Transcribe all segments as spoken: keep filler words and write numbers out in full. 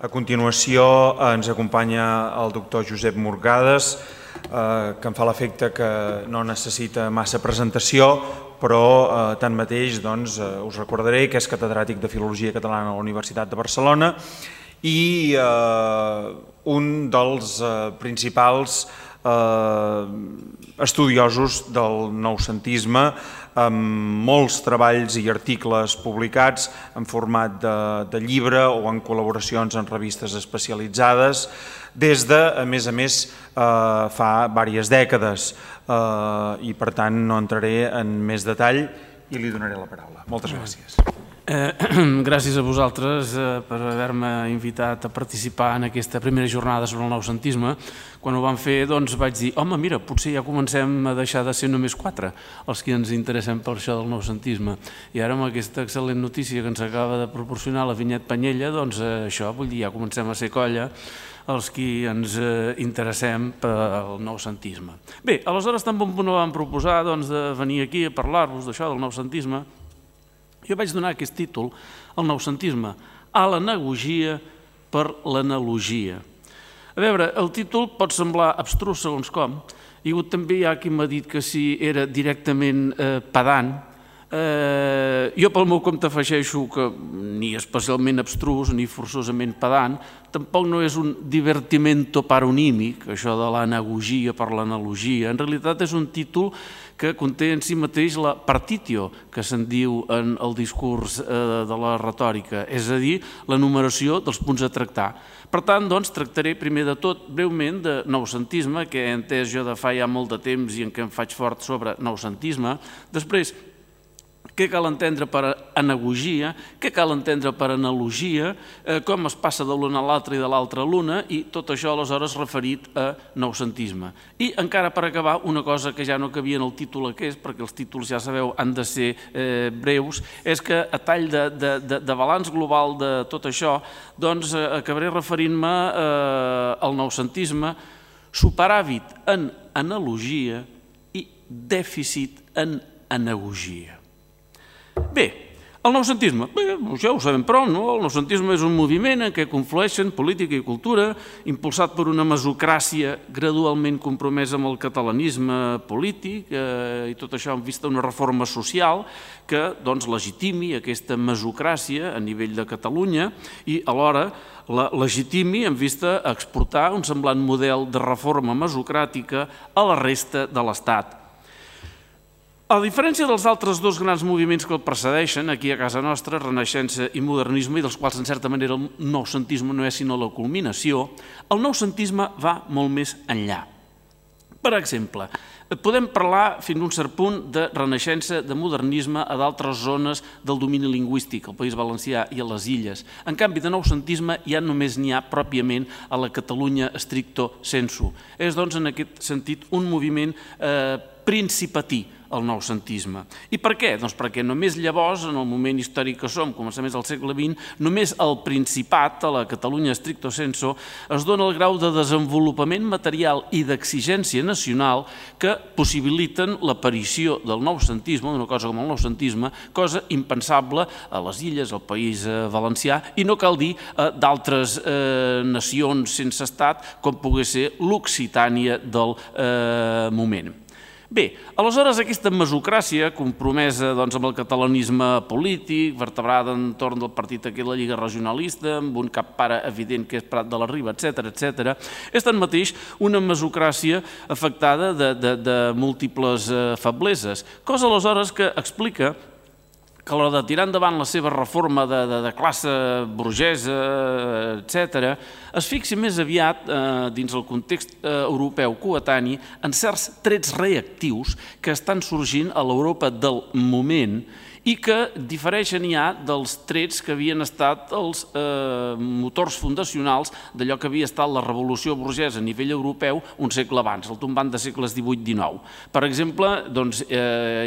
A continuació ens acompanya el doctor Josep Morgades, que em fa l'efecte que no necessita massa presentació, però tanmateix us recordaré que és catedràtic de Filologia Catalana a la Universitat de Barcelona i un dels principals estudiosos del noucentisme, amb molts treballs i articles publicats en format de llibre o en col·laboracions en revistes especialitzades des de, a més a més, fa diverses dècades i per tant no entraré en més detall i li donaré la paraula. Moltes gràcies. Gràcies a vosaltres per haver-me invitat a participar en aquesta primera jornada sobre el noucentisme. Quan ho vam fer vaig dir, home, mira, potser ja comencem a deixar de ser només quatre els que ens interessem per això del noucentisme. I ara amb aquesta excel·lent notícia que ens acaba de proporcionar la Vinyet Panyella, doncs això, vull dir, ja comencem a ser colla els que ens interessem pel noucentisme. Bé, aleshores tan bon punt vam proposar de venir aquí a parlar-vos d'això del noucentisme. Jo vaig donar aquest títol, el noucentisme, a l'anagogia per l'analogia. A veure, el títol pot semblar abstrus segons com, i també hi ha qui m'ha dit que si era directament pedant. Jo pel meu compte afegeixo que ni especialment abstrus ni forçosament pedant, tampoc no és un divertimento paronímic, això de l'anagogia per l'analogia. En realitat és un títol que conté en si mateix la partitio, que se'n diu en el discurs de la retòrica, és a dir, la numeració dels punts a tractar. Per tant, doncs, tractaré primer de tot breument de noucentisme, que he entès jo de fa ja molt de temps i en què em faig fort sobre noucentisme. Després, què cal entendre per anagogia, què cal entendre per analogia, com es passa de l'una a l'altra i de l'altra a l'una, i tot això aleshores referit a noucentisme. I encara per acabar, una cosa que ja no cabia en el títol aquest, perquè els títols, ja sabeu, han de ser breus, és que a tall de balanç global de tot això, doncs acabaré referint-me al noucentisme, superàvit en analogia i dèficit en anagogia. Bé, el noucentisme, ja ho sabem prou, no? El noucentisme és un moviment en què conflueixen política i cultura, impulsat per una mesocràcia gradualment compromesa amb el catalanisme polític i tot això en vista d'una reforma social que legitimi aquesta mesocràcia a nivell de Catalunya i alhora la legitimi en vista a exportar un semblant model de reforma mesocràtica a la resta de l'Estat. A diferència dels altres dos grans moviments que el precedeixen, aquí a casa nostra, Renaixença i Modernisme, i dels quals en certa manera el noucentisme no és sinó la culminació, el noucentisme va molt més enllà. Per exemple, podem parlar fins a un cert punt de Renaixença, de modernisme a d'altres zones del domini lingüístic, al País Valencià i a les Illes. En canvi, de noucentisme ja només n'hi ha pròpiament a la Catalunya stricto sensu. És, doncs, en aquest sentit, un moviment principatí, el noucentisme. I per què? Doncs perquè només llavors, en el moment històric que som, començaments del segle vint, només al Principat, a la Catalunya stricto sensu, es dona el grau de desenvolupament material i d'exigència nacional que possibiliten l'aparició del noucentisme, d'una cosa com el noucentisme, cosa impensable a les Illes, al País Valencià, i no cal dir d'altres nacions sense estat, com pogués ser l'Occitània del moment. Bé, aleshores aquesta mesocràcia compromesa amb el catalanisme polític, vertebrada entorn del partit aquí la Lliga Regionalista, amb un cap pare evident que és Prat de la Riba, etcètera, etcètera, és tanmateix una mesocràcia afectada de múltiples febleses, cosa aleshores que explica que a l'hora de tirar endavant la seva reforma de classe burgesa, etcètera, es fixi més aviat, dins el context europeu coetani, en certs trets reactius que estan sorgint a l'Europa del moment i que difereixen ja dels trets que havien estat els motors fundacionals d'allò que havia estat la revolució burgesa a nivell europeu un segle abans, el tombant de segles divuit dinou. Per exemple,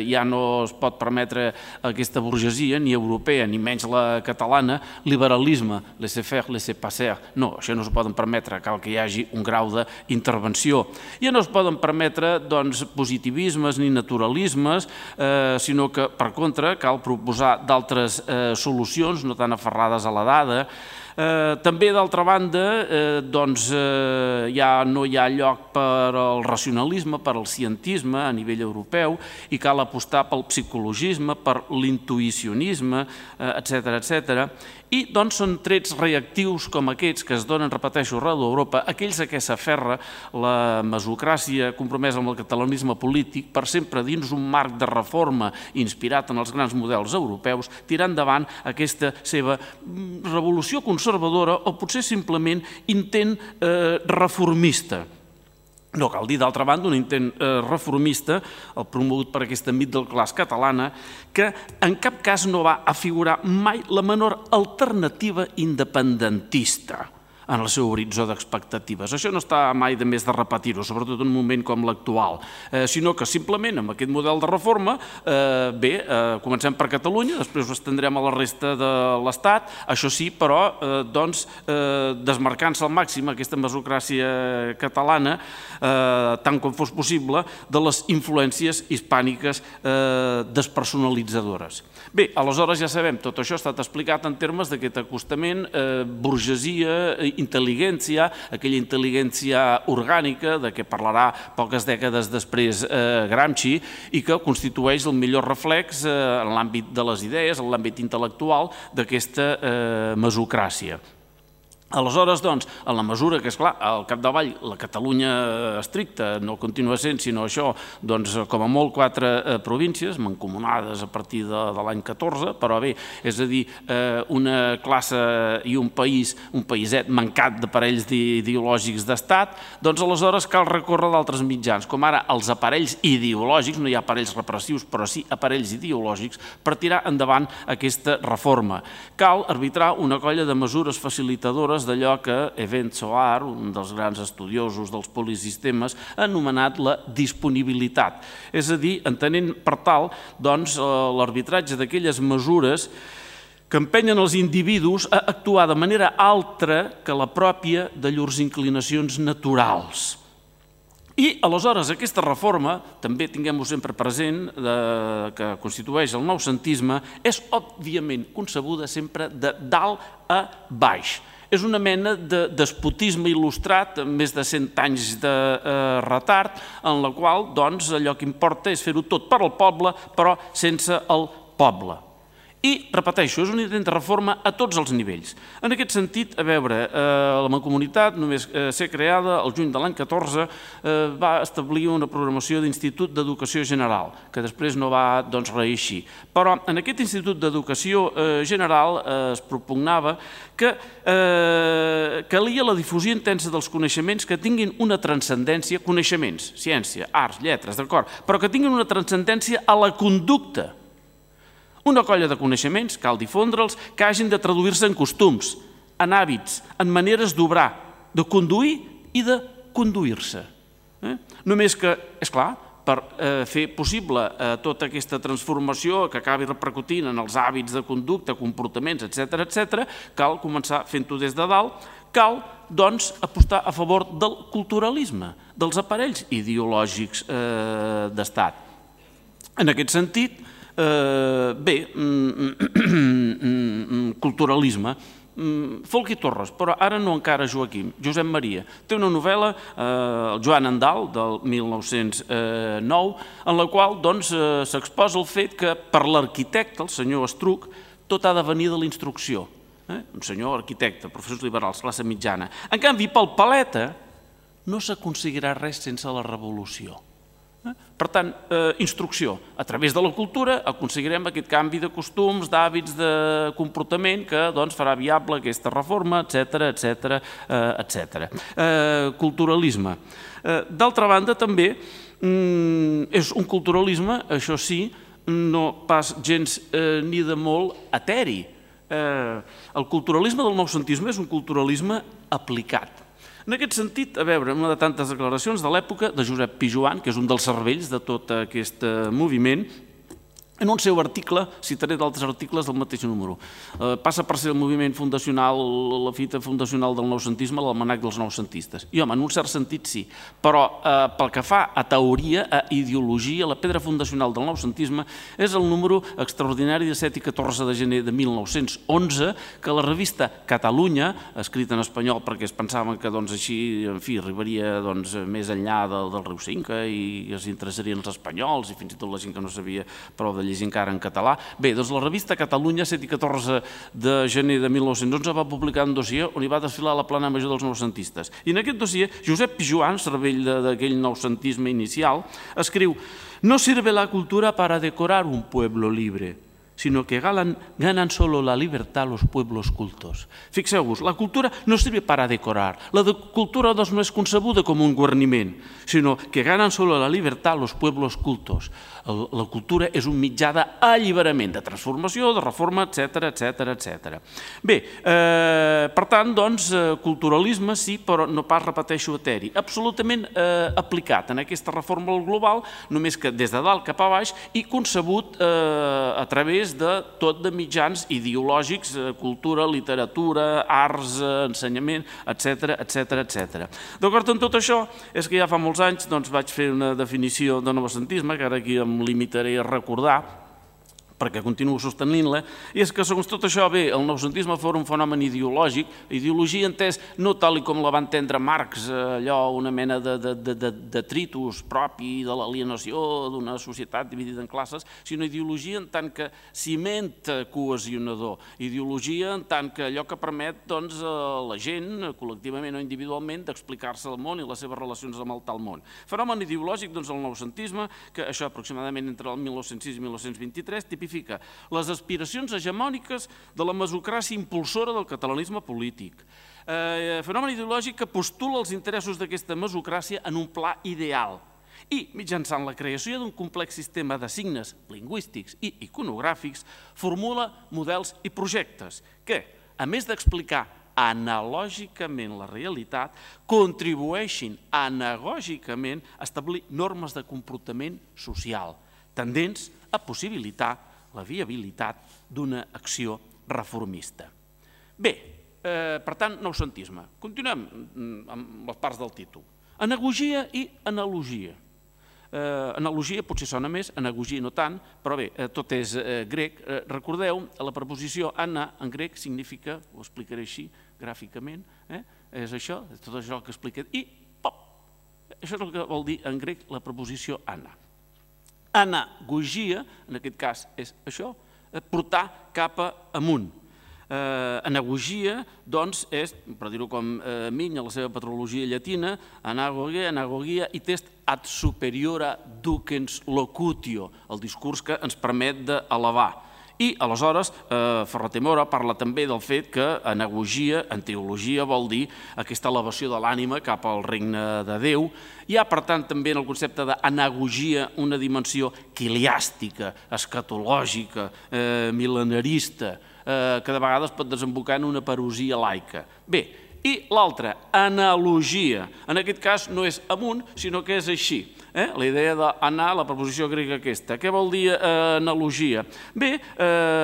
ja no es pot permetre aquesta burgesia, ni europea, ni menys la catalana, liberalisme, laissez-faire, laissez-passer. No, això no es poden permetre, cal que hi hagi un grau d'intervenció. Ja no es poden permetre positivismes ni naturalismes, sinó que, per contra, cal proposar d'altres solucions, no tan aferrades a la dada, També, d'altra banda, doncs, ja no hi ha lloc per al racionalisme, per al cientisme a nivell europeu, i cal apostar pel psicologisme, per l'intuïcionisme, etcètera, etcètera. I doncs són trets reactius com aquests que es donen, repeteixo, arreu d'Europa, aquells a què s'aferra la mesocràcia compromesa amb el catalanisme polític per sempre dins un marc de reforma inspirat en els grans models europeus, tirar endavant aquesta seva revolució conservadora o potser simplement intent reformista. No cal dir, d'altra banda, un intent reformista, el promogut per aquesta middle class catalana, que en cap cas no va afigurar mai la menor alternativa independentista en el seu horitzó d'expectatives. Això no està mai de més de repetir-ho, sobretot en un moment com l'actual, sinó que simplement amb aquest model de reforma, bé, comencem per Catalunya, després ho estendrem a la resta de l'Estat, això sí, però, doncs, desmarcant-se al màxim aquesta mesocràcia catalana, tant com fos possible, de les influències hispàniques despersonalitzadores. Bé, aleshores ja sabem, tot això ha estat explicat en termes d'aquest acostament burgesia, intel·ligència, aquella intel·ligència orgànica de què parlarà poques dècades després Gramsci i que constitueix el millor reflex en l'àmbit de les idees, en l'àmbit intel·lectual d'aquesta mesocràcia. Aleshores, doncs, en la mesura que, esclar, al capdavall la Catalunya estricta no continua sent, sinó això, doncs, com a molt quatre províncies, mancomunades a partir de l'any catorze, però bé, és a dir, una classe i un país, un païset mancat d'aparells ideològics d'estat, doncs aleshores cal recórrer d'altres mitjans, com ara els aparells ideològics, no hi ha aparells repressius, però sí aparells ideològics, per tirar endavant aquesta reforma. Cal arbitrar una colla de mesures facilitadores d'allò que Event Soar, un dels grans estudiosos dels polisistemes, ha anomenat la disponibilitat. És a dir, entenent per tal l'arbitratge d'aquelles mesures que empenyen els individus a actuar de manera altra que la pròpia de llurs inclinacions naturals. I, aleshores, aquesta reforma, també tinguem-ho sempre present, que constitueix el noucentisme, és òbviament concebuda sempre de dalt a baix. És una mena de despotisme il·lustrat, amb més de cent anys de retard, en la qual, doncs, allò que importa és fer-ho tot per al poble, però sense el poble. I, repeteixo, és un intent de reforma a tots els nivells. En aquest sentit, a veure, la Mancomunitat, només ser creada el juny de l'any catorze, va establir una programació d'Institut d'Educació General, que després no va reeixir. Però en aquest Institut d'Educació General es propugnava que calia la difusió intensa dels coneixements que tinguin una transcendència, coneixements, ciència, arts, lletres, d'acord, però que tinguin una transcendència a la conducta. Una colla de coneixements, cal difondre'ls, que hagin de traduir-se en costums, en hàbits, en maneres d'obrar, de conduir i de conduir-se. Només que, és clar, per fer possible tota aquesta transformació que acabi repercutint en els hàbits de conducta, comportaments, etcètera, etcètera, cal començar fent-ho des de dalt, cal, doncs, apostar a favor del culturalisme, dels aparells ideològics d'estat. En aquest sentit, bé, culturalisme, Folch i Torres, però ara no encara Joaquim, Josep Maria. Té una novel·la, el Joan Andal, del mil nou-cents nou, en la qual s'exposa el fet que per l'arquitecte, el senyor Estruc, tot ha de venir de la instrucció. Un senyor arquitecte, professors liberals, classe mitjana. En canvi, pel paleta no s'aconseguirà res sense la revolució. Per tant, instrucció. A través de la cultura aconseguirem aquest canvi de costums, d'hàbits, de comportament que farà viable aquesta reforma, etcètera, etcètera, etcètera. Culturalisme. D'altra banda, també és un culturalisme, això sí, no pas gens ni de molt eteri. El culturalisme del noucentisme és un culturalisme aplicat. En aquest sentit, a veure, una de tantes declaracions de l'època de Josep Pijoan, que és un dels cervells de tot aquest moviment, En un seu article, citaré d'altres articles del mateix número, passa per ser el moviment fundacional, la fita fundacional del noucentisme, l'almanac dels noucentistes. I home, en un cert sentit sí, però pel que fa a teoria, a ideologia, la pedra fundacional del noucentisme és el número extraordinari de set i catorze de gener de mil nou-cents onze que la revista Catalunya, escrita en espanyol perquè es pensaven que així arribaria més enllà del riu Cinca i es interessarien els espanyols i fins i tot la gent que no sabia prou de llegir encara en català. Bé, doncs la revista Catalunya, set i catorze de gener de mil nou-cents onze, va publicar un dossier on hi va desfilar la plana major dels noucentistes. I en aquest dossier, Josep Pijoan, cervell d'aquell noucentisme inicial, escriu: «No sirve la cultura para decorar un pueblo libre, sino que ganan solo la libertad los pueblos cultos». Fixeu-vos, la cultura no sirve para decorar. La cultura no és concebuda com un guarniment, sinó que ganan solo la libertad los pueblos cultos. La cultura és un mitjà d'alliberament, de transformació, de reforma, etcètera, etcètera, etcètera. Bé, per tant, doncs, culturalisme sí, però no pas, repeteixo, eteri. Absolutament aplicat en aquesta reforma global, només que des de dalt cap a baix i concebut a través de tot de mitjans ideològics, cultura, literatura, arts, ensenyament, etcètera, etcètera, etcètera. D'acord amb tot això, és que ja fa molts anys vaig fer una definició de noucentisme, que ara aquí em limitaré a recordar, perquè continuo sostenint-la, i és que, segons tot això, bé, el noucentisme fos un fenomen ideològic, ideologia entès no tal com la va entendre Marx, allò, una mena de detritus propi de l'alienació d'una societat dividida en classes, sinó ideologia en tant que ciment cohesionador, ideologia en tant que allò que permet a la gent, col·lectivament o individualment, d'explicar-se el món i les seves relacions amb el tal món. Fenomen ideològic, doncs, el noucentisme, que això aproximadament entre el mil nou-cents sis i mil nou-cents vint-i-tres, tipifica les aspiracions hegemòniques de la mesocràcia impulsora del catalanisme polític. Fenomen ideològic que postula els interessos d'aquesta mesocràcia en un pla ideal i, mitjançant la creació d'un complex sistema de signes lingüístics i iconogràfics, formula models i projectes que, a més d'explicar analògicament la realitat, contribueixin anagògicament a establir normes de comportament social, tendents a possibilitar la viabilitat d'una acció reformista. Bé, per tant, noucentisme. Continuem amb les parts del títol. Anagogia i analogia. Analogia potser sona més, anagogia no tant, però bé, tot és grec. Recordeu, la preposició ana en grec significa, ho explicaré així gràficament, és això, tot això que expliqué, i pop! Això és el que vol dir en grec la preposició ana. Anagogia, en aquest cas és això, portar cap amunt. Anagogia, doncs, és, per dir-ho com Migne, la seva patrologia llatina, anagogia, anagogia i test ad superiora ducens locutio, el discurs que ens permet d'elevar. I, aleshores, Ferrater Mora parla també del fet que anagogia, en teologia, vol dir aquesta elevació de l'ànima cap al regne de Déu. Hi ha, per tant, també en el concepte d'anagogia una dimensió quiliàstica, escatològica, mil·lenarista, que de vegades pot desembocar en una parosia laica. Bé, i l'altra, analogia. En aquest cas no és amunt, sinó que és així. La idea d'anar, la preposició grega aquesta. Què vol dir analogia? Bé,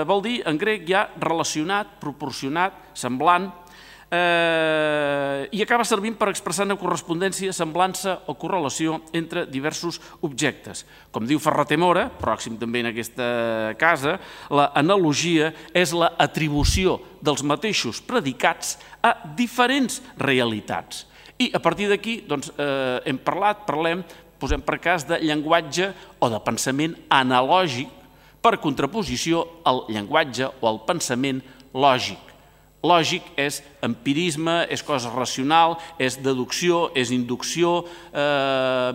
vol dir en grec ja relacionat, proporcionat, semblant, i acaba servint per expressar una correspondència, semblança o correlació entre diversos objectes. Com diu Ferrater Mora, pròxim també en aquesta casa, l'analogia és l'atribució dels mateixos predicats a diferents realitats. I a partir d'aquí hem parlat, parlem, posem per cas de llenguatge o de pensament analògic per contraposició al llenguatge o al pensament lògic. Lògic és empirisme, és cosa racional, és deducció, és inducció,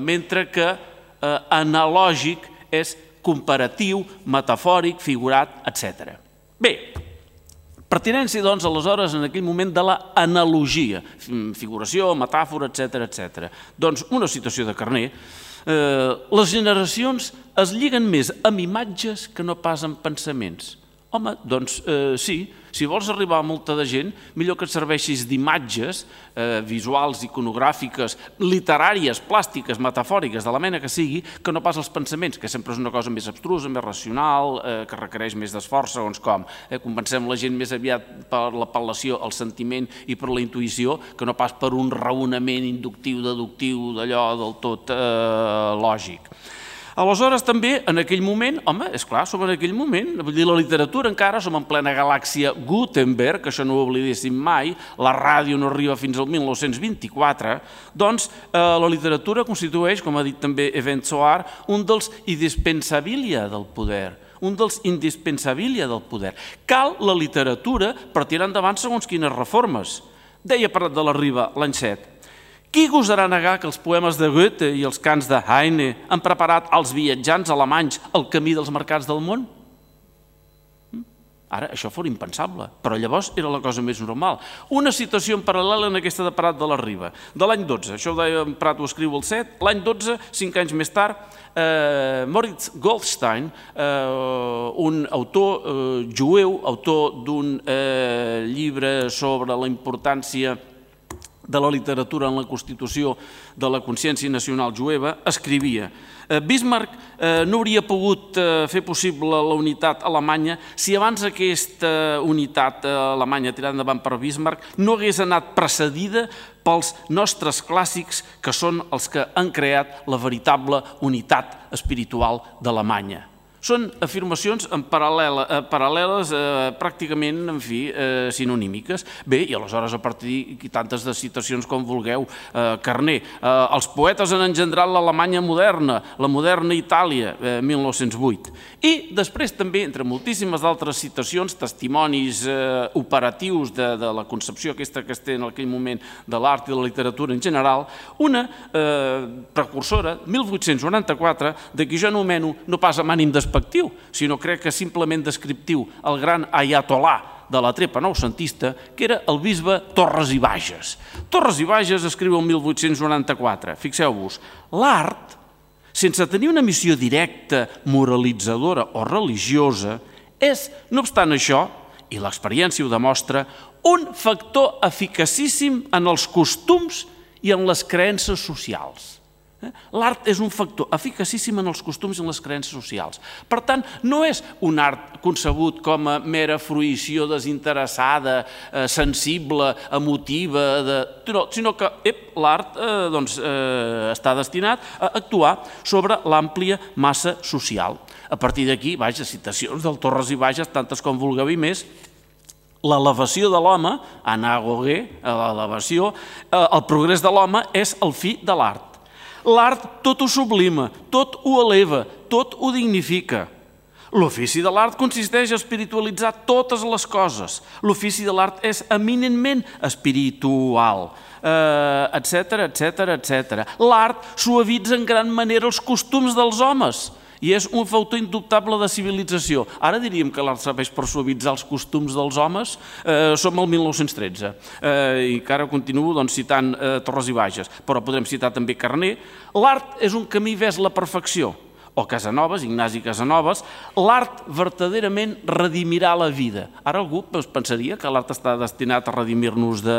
mentre que analògic és comparatiu, metafòric, figurat, etcètera. Bé, pertinència, doncs, aleshores, en aquell moment de l'analogia, figuració, metàfora, etcètera, etcètera. Doncs una situació de carner. Les generacions es lliguen més amb imatges que no pas amb pensaments. Home, doncs sí, si vols arribar a molta de gent, millor que et serveixis d'imatges visuals, iconogràfiques, literàries, plàstiques, metafòriques, de la mena que sigui, que no pas els pensaments, que sempre és una cosa més abstrusa, més racional, que requereix més d'esforç, segons com. Convencem la gent més aviat per l'apel·lació al sentiment i per la intuïció, que no pas per un raonament inductiu, deductiu, d'allò del tot lògic. Aleshores, també, en aquell moment, home, és clar, som en aquell moment, vull dir, la literatura encara, som en plena galàxia Gutenberg, que això no ho oblidéssim mai, la ràdio no arriba fins al mil nou-cents vint-i-quatre, doncs la literatura constitueix, com ha dit també Event Soar, un dels indispensabilia del poder, un dels indispensabilia del poder. Cal la literatura per tirar endavant segons quines reformes. Deia Prat de la Riba l'any set. Qui gosarà negar que els poemes de Goethe i els cants de Heine han preparat als viatjants alemanys el camí dels mercats del món? Ara, això fos impensable, però llavors era la cosa més normal. Una situació en paral·lel en aquesta de Prat de la Riba, de l'any dotze, això ho deia Prat, ho escriu el set, l'any dotze, cinc anys més tard, Moritz Goldstein, un autor jueu, autor d'un llibre sobre la importància de la literatura en la constitució de la consciència nacional jueva, escrivia: Bismarck no hauria pogut fer possible la unitat alemanya si abans aquesta unitat alemanya tirada endavant per Bismarck no hagués anat precedida pels nostres clàssics, que són els que han creat la veritable unitat espiritual d'Alemanya. Són afirmacions paral·leles pràcticament, en fi, sinonímiques. Bé, i aleshores a partir de tantes de citacions com vulgueu, Carner, els poetes han engendrat l'Alemanya moderna, la moderna Itàlia, mil nou-cents vuit. I després també, entre moltíssimes altres citacions, testimonis operatius de la concepció aquesta que es té en aquell moment de l'art i de la literatura en general, una precursora, mil vuit-cents noranta-quatre, de qui jo anomeno no pas amb ànim despectiu, sinó crec que simplement descriptiu, el gran ayatolà de la trepa noucentista, que era el bisbe Torres i Bages. Torres i Bages escriu el mil vuit-cents noranta-quatre, fixeu-vos, l'art, sense tenir una missió directa, moralitzadora o religiosa, és, no obstant això, i l'experiència ho demostra, un factor eficacíssim en els costums i en les creences socials. L'art és un factor eficacíssim en els costums i en les creences socials. Per tant, no és un art concebut com a mera fruïció desinteressada, sensible, emotiva, sinó que l'art està destinat a actuar sobre l'àmplia massa social. A partir d'aquí, vaja, citacions del Torres i Bages, tantes com vulgueu i més, l'elevació de l'home, Anna Gauguin, l'elevació, el progrés de l'home és el fi de l'art. L'art tot ho sublima, tot ho eleva, tot ho dignifica. L'ofici de l'art consisteix a espiritualitzar totes les coses. L'ofici de l'art és eminentment espiritual, etcètera, etcètera, etcètera. L'art suavitza en gran manera els costums dels homes i és un factor indubtable de civilització. Ara diríem que l'art serveix per suavitzar els costums dels homes. Som al mil nou-cents tretze i encara continuo citant Torres i Bages, però podrem citar també Carner. L'art és un camí vers la perfecció. O Casanovas, Ignasi Casanovas, l'art verdaderament redimirà la vida. Ara algú pensaria que l'art està destinat a redimir-nos de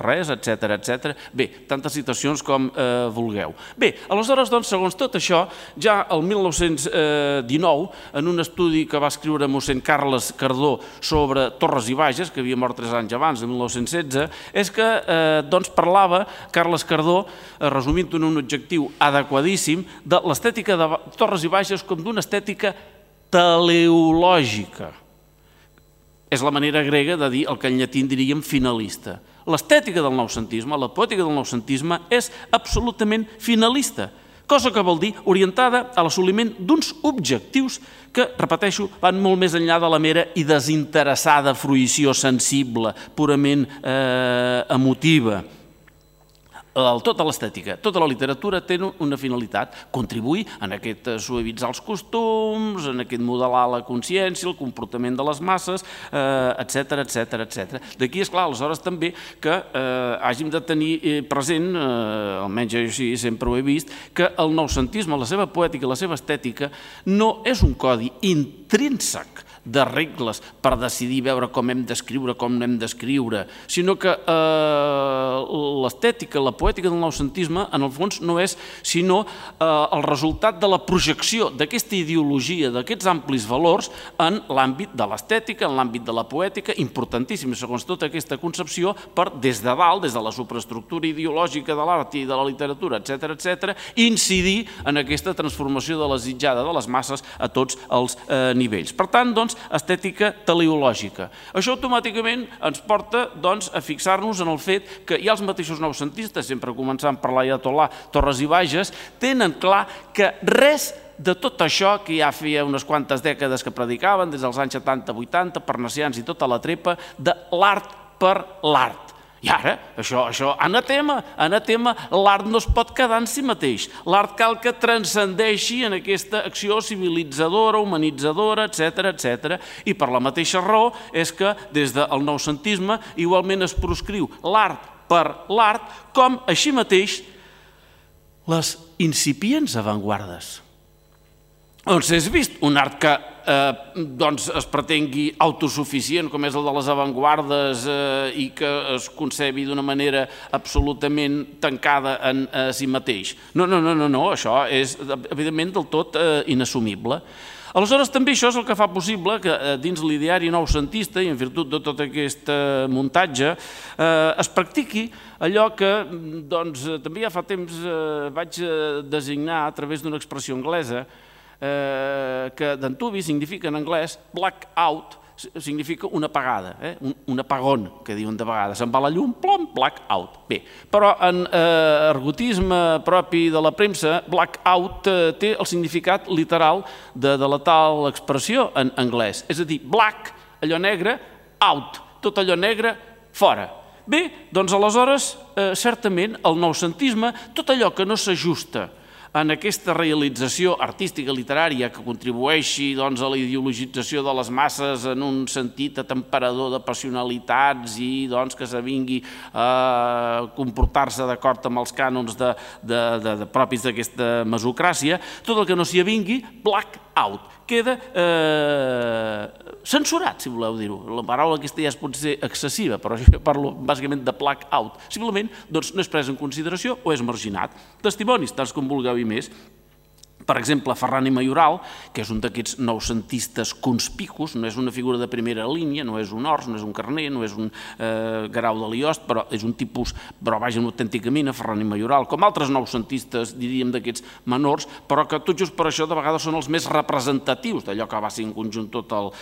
res, etcètera, etcètera. Bé, tantes citacions com vulgueu. Bé, aleshores, doncs, segons tot això, ja el mil nou-cents dinou, en un estudi que va escriure mossèn Carles Cardó sobre Torres i Bages, que havia mort tres anys abans, de mil nou-cents setze, és que parlava Carles Cardó, resumint en un objectiu adequadíssim, de l'estètica de Torres i Bages com d'una estètica teleològica. És la manera grega de dir el que en llatí en diríem finalista. L'estètica del noucentisme, la poètica del noucentisme és absolutament finalista, cosa que vol dir orientada a l'assoliment d'uns objectius que, repeteixo, van molt més enllà de la mera i desinteressada fruïció sensible, purament emotiva. Tota l'estètica, tota la literatura té una finalitat, contribuir en aquest suavitzar els costums, en aquest modelar la consciència, el comportament de les masses, etcètera, etcètera, etcètera. D'aquí, esclar, aleshores també que hàgim de tenir present, almenys jo així sempre ho he vist, que el noucentisme, la seva poètica i la seva estètica no és un codi intrínsec de regles per decidir veure com hem d'escriure, com no hem d'escriure, sinó que l'estètica, la poètica del noucentisme, en el fons, no és sinó el resultat de la projecció d'aquesta ideologia, d'aquests amplis valors en l'àmbit de l'estètica, en l'àmbit de la poètica, importantíssim, segons tota aquesta concepció, per des de dalt, des de la superestructura ideològica de l'art i de la literatura, etcètera, etcètera, incidir en aquesta transformació de la desitjada de les masses a tots els nivells. Per tant, doncs, estètica teleològica. Això automàticament ens porta doncs, a fixar-nos en el fet que ja els mateixos noucentistes, sempre començant per l'Aiatolà Torres i Bages, tenen clar que res de tot això que ja feia unes quantes dècades que predicaven, des dels anys setanta vuitanta, parnassians i tota la trepa, de l'art per l'art. I ara, això, això, anatema, anatema, l'art no es pot quedar en si mateix. L'art cal que transcendeixi en aquesta acció civilitzadora, humanitzadora, etcètera, etcètera. I per la mateixa raó és que des del noucentisme igualment es proscriu l'art per l'art, com així mateix les incipients avantguardes. Doncs és vist un art que es pretengui autosuficient, com és el de les avantguardes, i que es concebi d'una manera absolutament tancada en si mateix. No, no, no, no, això és evidentment del tot inassumible. Aleshores, també això és el que fa possible que dins l'ideari noucentista i en virtut de tot aquest muntatge es practiqui allò que també ja fa temps vaig designar a través d'una expressió anglesa que d'antuvi significa en anglès blackout, significa una apagada, un apagón, que diuen de vegades. Se'n va la llum, plom, blackout. Bé, però en ergotisme propi de la premsa, blackout té el significat literal de la tal expressió en anglès. És a dir, black, allò negre, out, tot allò negre, fora. Bé, doncs aleshores, certament, el noucentisme, tot allò que no s'ajusta en aquesta realització artística literària que contribueixi a la ideologització de les masses en un sentit atemperador de passionalitats i que s'avingui a comportar-se d'acord amb els cànons propis d'aquesta mesocràcia, tot el que no s'hi avingui, black out. Queda censurat, si voleu dir-ho. La paraula aquesta ja es pot ser excessiva, però jo parlo bàsicament de black out. Simplement no és pres en consideració o és marginat. Testimonis, tants com vulgueu i més. Per exemple, Ferran i Mayoral, que és un d'aquests noucentistes conspicus, no és una figura de primera línia, no és un Ors, no és un Carner, no és un Guerau de Liost, però és un tipus, però vaja, una autèntica mina, Ferran i Mayoral, com altres noucentistes, diríem, d'aquests menors, però que tot just per això de vegades són els més representatius d'allò que va ser en conjunt tot el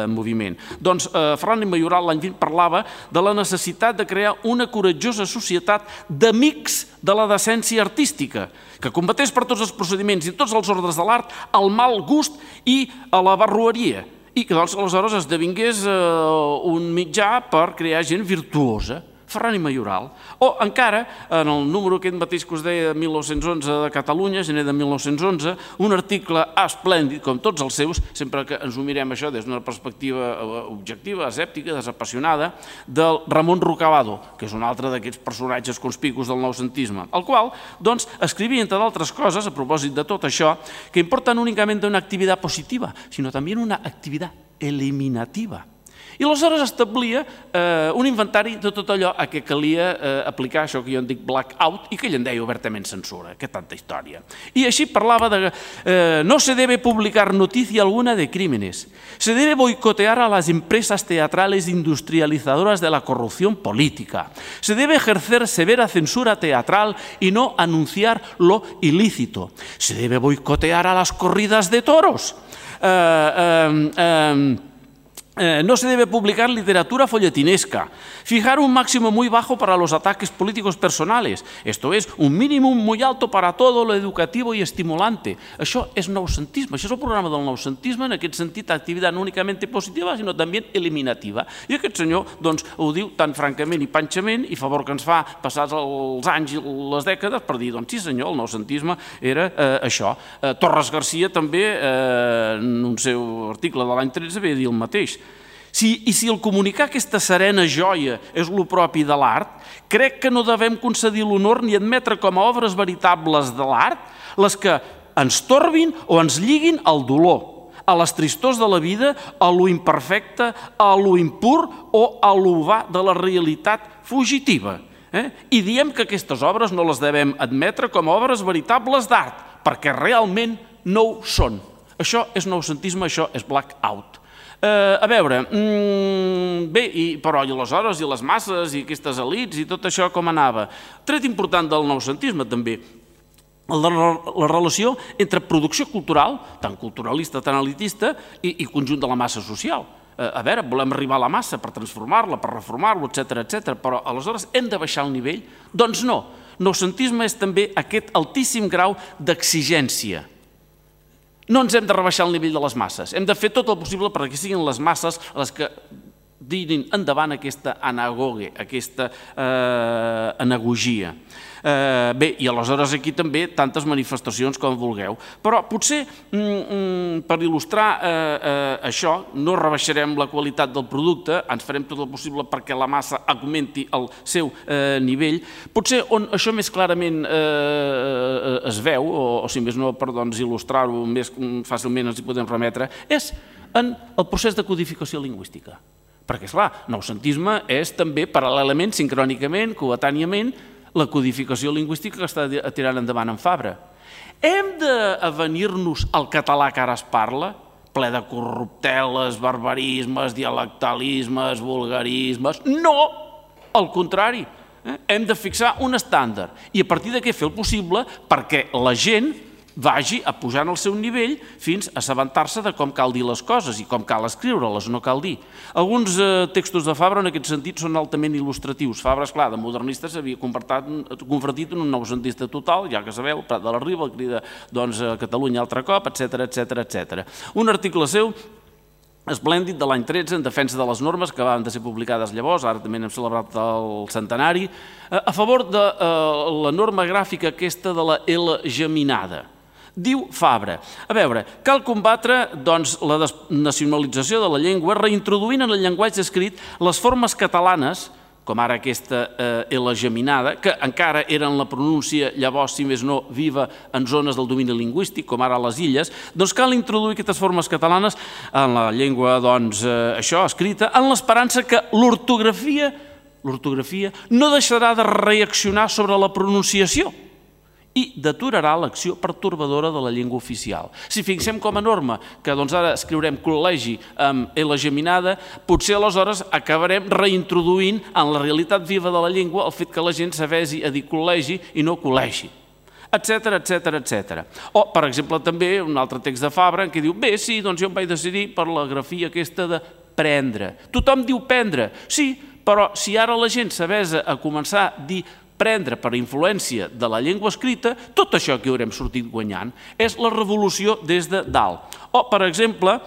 moviment. Doncs Ferran i Mayoral l'any vint parlava de la necessitat de crear una coratjosa societat d'amics de la decència artística, que combatés per tots els procediments i tots els ordres de l'art al mal gust i a la barroeria, i que doncs aleshores esdevingués un mitjà per crear gent virtuosa. Ferran i Mayoral. O encara, en el número aquest mateix que us deia de mil nou-cents onze de Catalunya, gener de mil nou-cents onze, un article esplèndid, com tots els seus, sempre que ens ho mirem això des d'una perspectiva objectiva, escèptica, desapassionada, del Ramon Rocabado, que és un altre d'aquests personatges conspicus del noucentisme, el qual, doncs, escrivia, entre d'altres coses, a propòsit de tot això, que importa no únicament una activitat positiva, sinó també una activitat eliminativa. I aleshores establia un inventari de tot allò a què calia aplicar això que jo en dic blackout i que ell en deia obertament censura, que tanta història. I així parlava de no se debe publicar noticia alguna de crímenes, se debe boicotear a las empresas teatrales industrializadoras de la corrupción política, se debe ejercer severa censura teatral y no anunciar lo ilícito, se debe boicotear a las corridas de toros, eh, eh, eh, Eh, no se debe publicar literatura folletinesca, fijar un máximo muy bajo para los ataques políticos personales, esto es, un mínimo muy alto para todo lo educativo y estimulante. Això és noucentisme, això és el programa del noucentisme, en aquest sentit, activitat no únicament positiva, sinó també eliminativa. I aquest senyor doncs, ho diu tan francament i panxament, i favor que ens fa passats els anys i les dècades per dir, doncs sí senyor, el noucentisme era eh, això. Eh, Torres Garcia també, eh, en un seu article de l'any tretze, ve a dir el mateix. I si el comunicar aquesta serena joia és el propi de l'art, crec que no devem concedir l'honor ni admetre com a obres veritables de l'art les que ens torbin o ens lliguin al dolor, a les tristors de la vida, a lo imperfecte, a lo impur o a lo va de la realitat fugitiva. I diem que aquestes obres no les devem admetre com a obres veritables d'art, perquè realment no ho són. Això és noucentisme, això és blackout. A veure, bé, però i aleshores, i les masses, i aquestes elits, i tot això com anava? Tret important del noucentisme també, la relació entre producció cultural, tant culturalista, tant elitista, i conjunt de la massa social. A veure, volem arribar a la massa per transformar-la, per reformar-la, etcètera, etcètera, però aleshores hem de baixar el nivell? Doncs no. Noucentisme és també aquest altíssim grau d'exigència. No ens hem de rebaixar el nivell de les masses, hem de fer tot el possible perquè siguin les masses les que diguin endavant aquesta anagoge, aquesta anagogia. Bé, i aleshores aquí també tantes manifestacions com vulgueu, però potser per il·lustrar això no rebaixarem la qualitat del producte, ens farem tot el possible perquè la massa augmenti el seu nivell. Potser on això més clarament es veu, o si més no per il·lustrar-ho més fàcilment ens hi podem remetre, és en el procés de codificació lingüística. Perquè, esclar, noucentisme és també paral·lelament, sincrònicament, coetàniament, la codificació lingüística que està tirant endavant en Fabra. Hem d'avenir-nos al català que ara es parla, ple de corrupteles, barbarismes, dialectalismes, vulgarismes? No! Al contrari, hem de fixar un estàndard i a partir d'aquí fer el possible perquè la gent vagi a pujar el seu nivell fins a assabentar-se de com cal dir les coses i com cal escriure-les, no cal dir. Alguns textos de Fabra en aquest sentit són altament il·lustratius. Fabra, esclar, de modernista s'havia convertit en un noucentista total, ja que sabeu, Prat de la Riba, el crida a Catalunya altre cop, etcètera, etcètera, etcètera. Un article seu esplèndid de l'any tretze en defensa de les normes que van de ser publicades llavors, ara també n'hem celebrat el centenari, a favor de la norma gràfica aquesta de la L geminada. Diu Fabra, a veure, cal combatre la desnacionalització de la llengua reintroduint en el llenguatge escrit les formes catalanes, com ara aquesta L geminada, que encara eren la pronúncia llavors, si més no, viva en zones del domini lingüístic, com ara a les illes, doncs cal introduir aquestes formes catalanes en la llengua, doncs, això, escrita, en l'esperança que l'ortografia l'ortografia no deixarà de reaccionar sobre la pronunciació i deturarà l'acció pertorbadora de la llengua oficial. Si fixem com a norma que ara escriurem col·legi amb L geminada, potser aleshores acabarem reintroduint en la realitat viva de la llengua el fet que la gent s'avesi a dir col·legi i no col·legi, etcètera, etcètera, etcètera. O, per exemple, també un altre text de Fabra en què diu, bé, sí, doncs jo em vaig decidir per la grafia aquesta de prendre. Tothom diu prendre, sí, però si ara la gent s'avesa a començar a dir prendre per influència de la llengua escrita, tot això que haurem sortit guanyant és la revolució des de dalt. O, per exemple,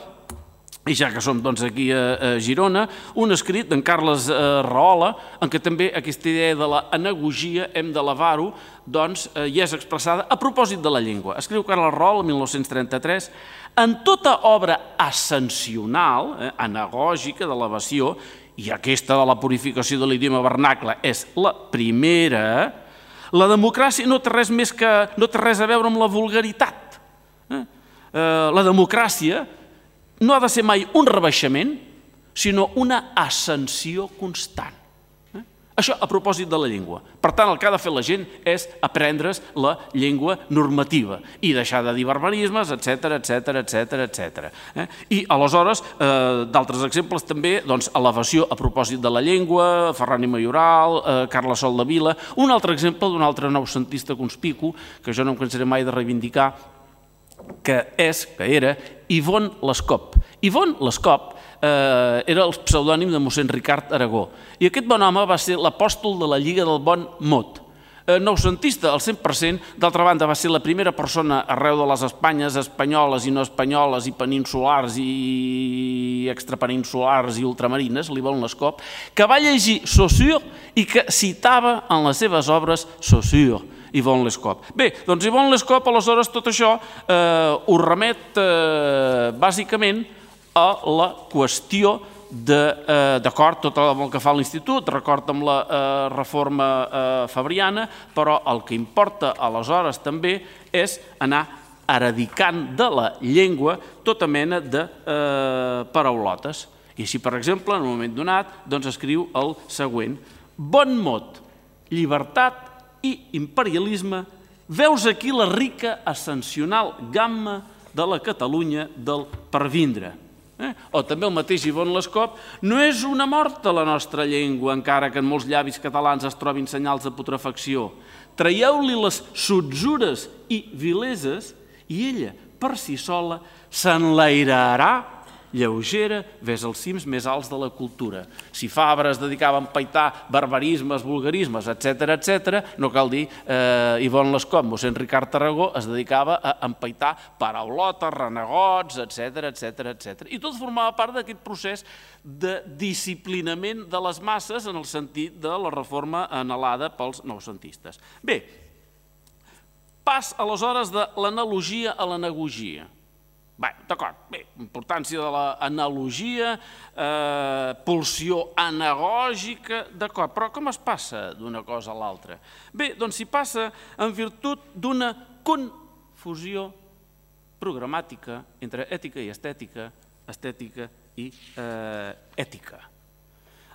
i ja que som aquí a Girona, un escrit d'en Carles Rahola, en què també aquesta idea de l'anagogia hem d'elevar-ho, doncs hi és expressada a propòsit de la llengua. Escriu Carles Rahola, mil nou-cents trenta-tres, en tota obra ascensional, anagògica, d'elevació, i aquesta de la purificació de l'idioma vernacle és la primera, la democràcia no té res més que no té res a veure amb la vulgaritat. La democràcia no ha de ser mai un rebaixament, sinó una ascensió constant. Això a propòsit de la llengua. Per tant, el que ha de fer la gent és aprendre's la llengua normativa i deixar de dir barbarismes, etcètera, etcètera, etcètera, etcètera. I aleshores, d'altres exemples també, doncs, elevació a propòsit de la llengua, Ferran i Mayoral, Carles Sol de Vila, un altre exemple d'un altre noucentista conspicu, que jo no em cansaré mai de reivindicar, que és, que era, Ivonne Lescop. Ivonne Lescop era el pseudònim de mossèn Ricard Aragó. I aquest bon home va ser l'apòstol de la Lliga del Bon Mot. Noucentista al cent per cent, d'altra banda va ser la primera persona arreu de les Espanyes espanyoles i no espanyoles i peninsulars i extrapeninsulars i ultramarines, l'Ivonne Lescop, que va llegir Saussure i que citava en les seves obres Saussure, Ivonne Lescop. Bé, doncs Ivonne Lescop, aleshores, tot això ho remet bàsicament a la qüestió d'acord, tot el que fa l'Institut, d'acord amb la reforma fabriana, però el que importa aleshores també és anar eradicant de la llengua tota mena de paraulotes. I així, per exemple, en un moment donat, doncs escriu el següent: bon mot, llibertat i imperialisme, veus aquí la rica ascensional gamma de la Catalunya del pervindre. Eh? O també el mateix Yvonne Lescop: no és una mort de la nostra llengua, encara que en molts llavis catalans es trobin senyals de putrefacció. Traieu-li les sotzures i vileses i ella, per si sola, s'enlairarà lleugera ves als cims més alts de la cultura. Si Fabra es dedicava a empaitar barbarismes, vulgarismes, etcètera, etcètera, no cal dir Yvonne Lescop, mossèn Ricard Tarragó es dedicava a empaitar paraulotes, renegots, etcètera, etcètera, etcètera. I tot formava part d'aquest procés de disciplinament de les masses en el sentit de la reforma anhelada pels noucentistes. Bé, pas aleshores de l'analogia a l'anagogia. Bé, d'acord, bé, importància de l'analogia, pulsió anagògica, d'acord, però com es passa d'una cosa a l'altra? Bé, doncs s'hi passa en virtut d'una confusió programàtica entre ètica i estètica, estètica i ètica.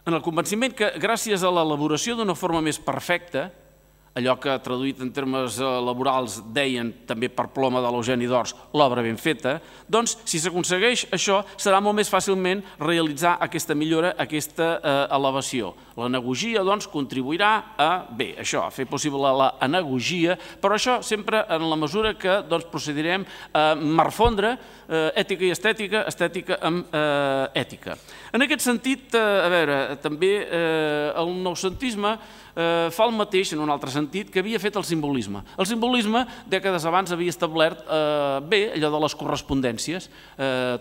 En el convenciment que gràcies a l'elaboració d'una forma més perfecta, allò que traduït en termes laborals deien també per ploma de l'Eugeni d'Ors, l'obra ben feta, doncs si s'aconsegueix això serà molt més fàcilment realitzar aquesta millora, aquesta elevació. L'anagogia doncs contribuirà a, bé, això, a fer possible l'anagogia, però això sempre en la mesura que procedirem a marfondre ètica i estètica, estètica amb ètica. En aquest sentit, a veure, també el noucentisme fa el mateix, en un altre sentit, que havia fet el simbolisme. El simbolisme, dècades abans, havia establert bé allò de les correspondències.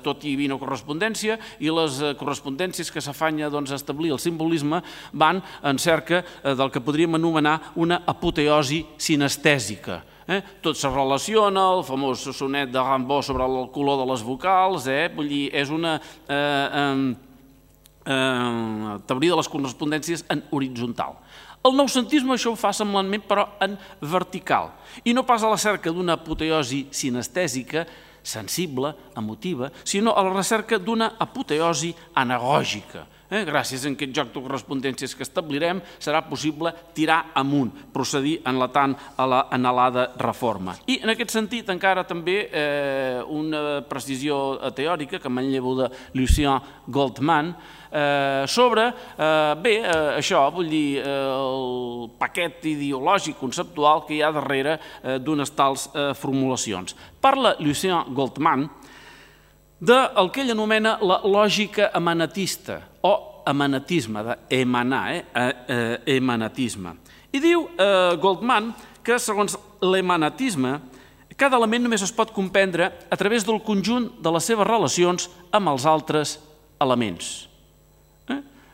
Tot hi havia una correspondència i les correspondències que s'afanya a establir el simbolisme van en cerca del que podríem anomenar una apoteosi sinestèsica. Tot se relaciona, el famós sonet de Rimbaud sobre el color de les vocals, vull dir, és una teoria de les correspondències en horitzontal. El noucentisme això ho fa semblantment, però en vertical, i no pas a la cerca d'una apoteosi sinestèsica, sensible, emotiva, sinó a la recerca d'una apoteosi anagògica. Gràcies a aquest joc de correspondències que establirem, serà possible tirar amunt, procedir en la tant a l'anhelada reforma. I en aquest sentit encara també una precisió teòrica que manllevo de Lucien Goldman sobre, bé, això, vull dir, el paquet ideològic conceptual que hi ha darrere d'unes tals formulacions. Parla Lucien Goldman del que ell anomena la lògica emanatista o emanatisme, d'emanar, emanatisme. I diu Goldman que, segons l'emanatisme, cada element només es pot comprendre a través del conjunt de les seves relacions amb els altres elements.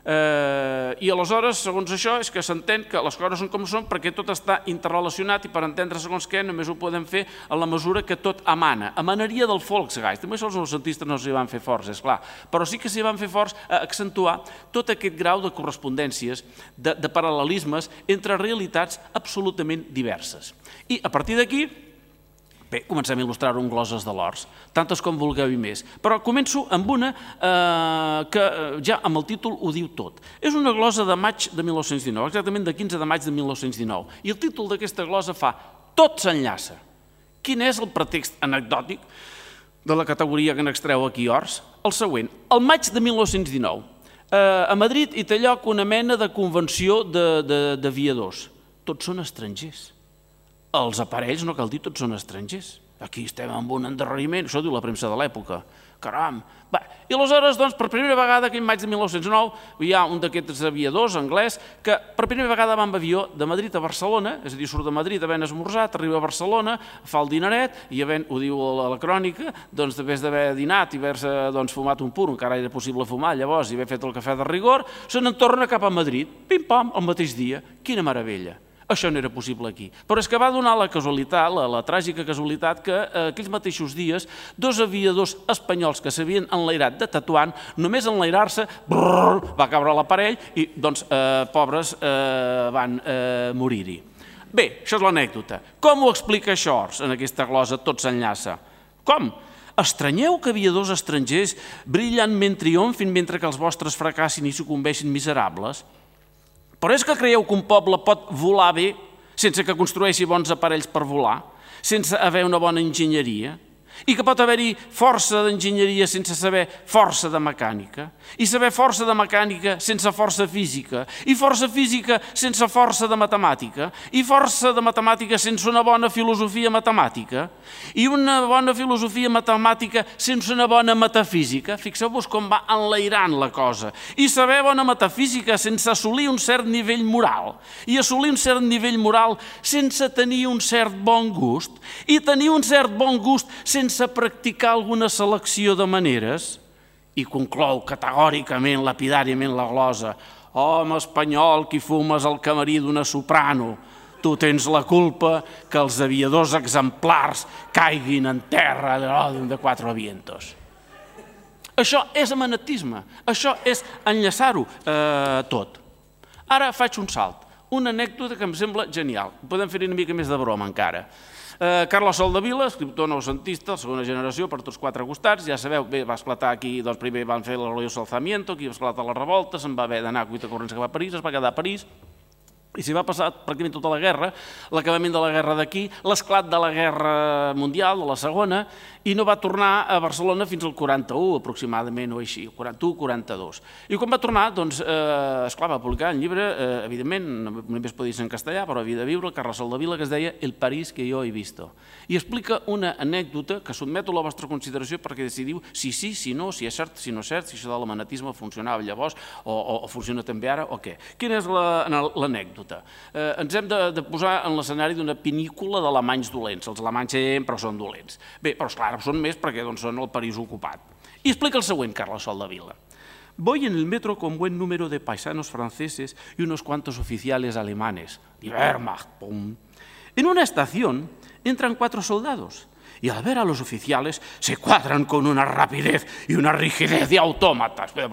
I aleshores, segons això, és que s'entén que les coses són com són perquè tot està interrelacionat i per entendre segons què només ho podem fer en la mesura que tot emana. Emanaria del Volksgeist. També els noucentistes no s'hi van fer forts, és clar, però sí que s'hi van fer forts a accentuar tot aquest grau de correspondències, de paral·lelismes entre realitats absolutament diverses. I a partir d'aquí, bé, comencem a il·lustrar-ho amb gloses de l'Ors, tantes com vulgueu i més, però començo amb una que ja amb el títol ho diu tot. És una glosa de maig de mil nou-cents dinou, exactament de quinze de maig de mil nou-cents dinou, i el títol d'aquesta glosa fa Tot s'enllaça. Quin és el pretext anecdòtic de la categoria que n'extreu aquí Ors? El següent, el maig de mil nou-cents dinou, a Madrid hi té lloc una mena de convenció d'aviadors. Tots són estrangers. Els aparells, no cal dir, tots són estrangers. Aquí estem amb un endarreriment, això diu la premsa de l'època. Caram! I aleshores, doncs, per primera vegada, aquell maig de mil nou-cents dinou, hi ha un d'aquests aviadors anglès que per primera vegada va amb avió de Madrid a Barcelona, és a dir, surt de Madrid havent esmorzat, arriba a Barcelona, fa el dineret, i havent, ho diu a la crònica, doncs, després d'haver dinat i haver-se fumat un pur, encara era possible fumar llavors, i haver fet el cafè de rigor, se n'en torna cap a Madrid, pim-pam, el mateix dia. Quina meravella! Això no era possible aquí. Però és que va donar la casualitat, la tràgica casualitat, que aquells mateixos dies dos aviadors espanyols que s'havien enlairat de Tetuan, només enlairar-se, va caure l'aparell i, doncs, pobres, van morir-hi. Bé, això és l'anècdota. Com ho explica això en aquesta glosa? Tot s'enllaça. Com? Estranyeu que aviadors estrangers brillantment triomfin mentre que els vostres fracassin i sucumbeixin miserables? Però és que creieu que un poble pot volar bé sense que construeixi bons aparells per volar, sense haver una bona enginyeria? I que pot haver-hi força d'enginyeria sense saber força de mecànica, i saber força de mecànica sense força física, i força física sense força de matemàtica, i força de matemàtica sense una bona filosofia matemàtica, i una bona filosofia matemàtica sense una bona metafísica. Fixeu-vos com va enlairant la cosa. I saber bona metafísica sense assolir un cert nivell moral, i assolir un cert nivell moral sense tenir un cert bon gust, i tenir un cert bon gust sense sense practicar alguna selecció de maneres, i conclou categòricament, lapidàriament la glosa: home espanyol, qui fumes al camarí d'una soprano, tu tens la culpa que els aviadors exemplars caiguin en terra de quatre vientos. Això és amanatisme, això és enllaçar-ho eh, tot. Ara faig un salt, una anècdota que em sembla genial. Podem fer-hi una mica més de broma encara. Eh, Carlos Soldevila, escriptor noucentista, segona generació, per tots quatre costats, ja sabeu, bé, va esclatar aquí, doncs primer van fer el glorioso alzamiento, aquí va esclatar la revolta, se'n va haver d'anar a cuita corrents que va a París, es va quedar a París, i s'hi va passar pràcticament tota la guerra, l'acabament de la guerra d'aquí, l'esclat de la guerra mundial, de la segona, i no va tornar a Barcelona fins al quaranta-u, aproximadament, o així, quaranta-u quaranta-dos. I quan va tornar, doncs, eh, esclar, va publicar un llibre, eh, evidentment, només podia ser en castellà, però havia de viure, Carles Soldevila, que es deia El París que jo he visto. I explica una anècdota que sotmeto a la vostra consideració perquè decidiu si sí, si no, si és cert, si no és cert, si això de l'amanatisme funcionava llavors o, o, o funciona també ara o què. Quina és l'anècdota? Eh, ens hem de, de posar en l'escenari d'una pinícula d'alemanys dolents. Els alemanys sempre són dolents. Bé, però esclar, són més perquè doncs, són el París ocupat. I explica el següent, Carles Soldevila. Voy en el metro con buen número de paisanos franceses y unos cuantos oficiales alemanes. Die Wehrmacht, pum. En una estación entran cuatro soldados y al ver a los oficiales se cuadran con una rapidez y una rigidez de autómatas. Bé,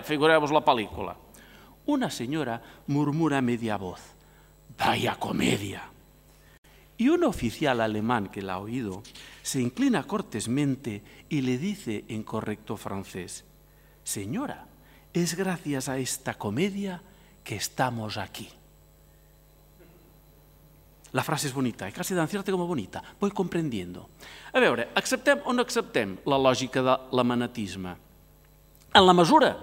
figureu-vos la pel·lícula. Una señora murmura a media voz: ¡vaya comedia! Y un oficial alemán que la ha oído se inclina cortésmente y le dice en correcto francés: señora, es gracias a esta comedia que estamos aquí. La frase és bonita, casi tan cierta com bonita, voy comprendiendo. A veure, acceptem o no acceptem la lògica de l'amanatisme? En la mesura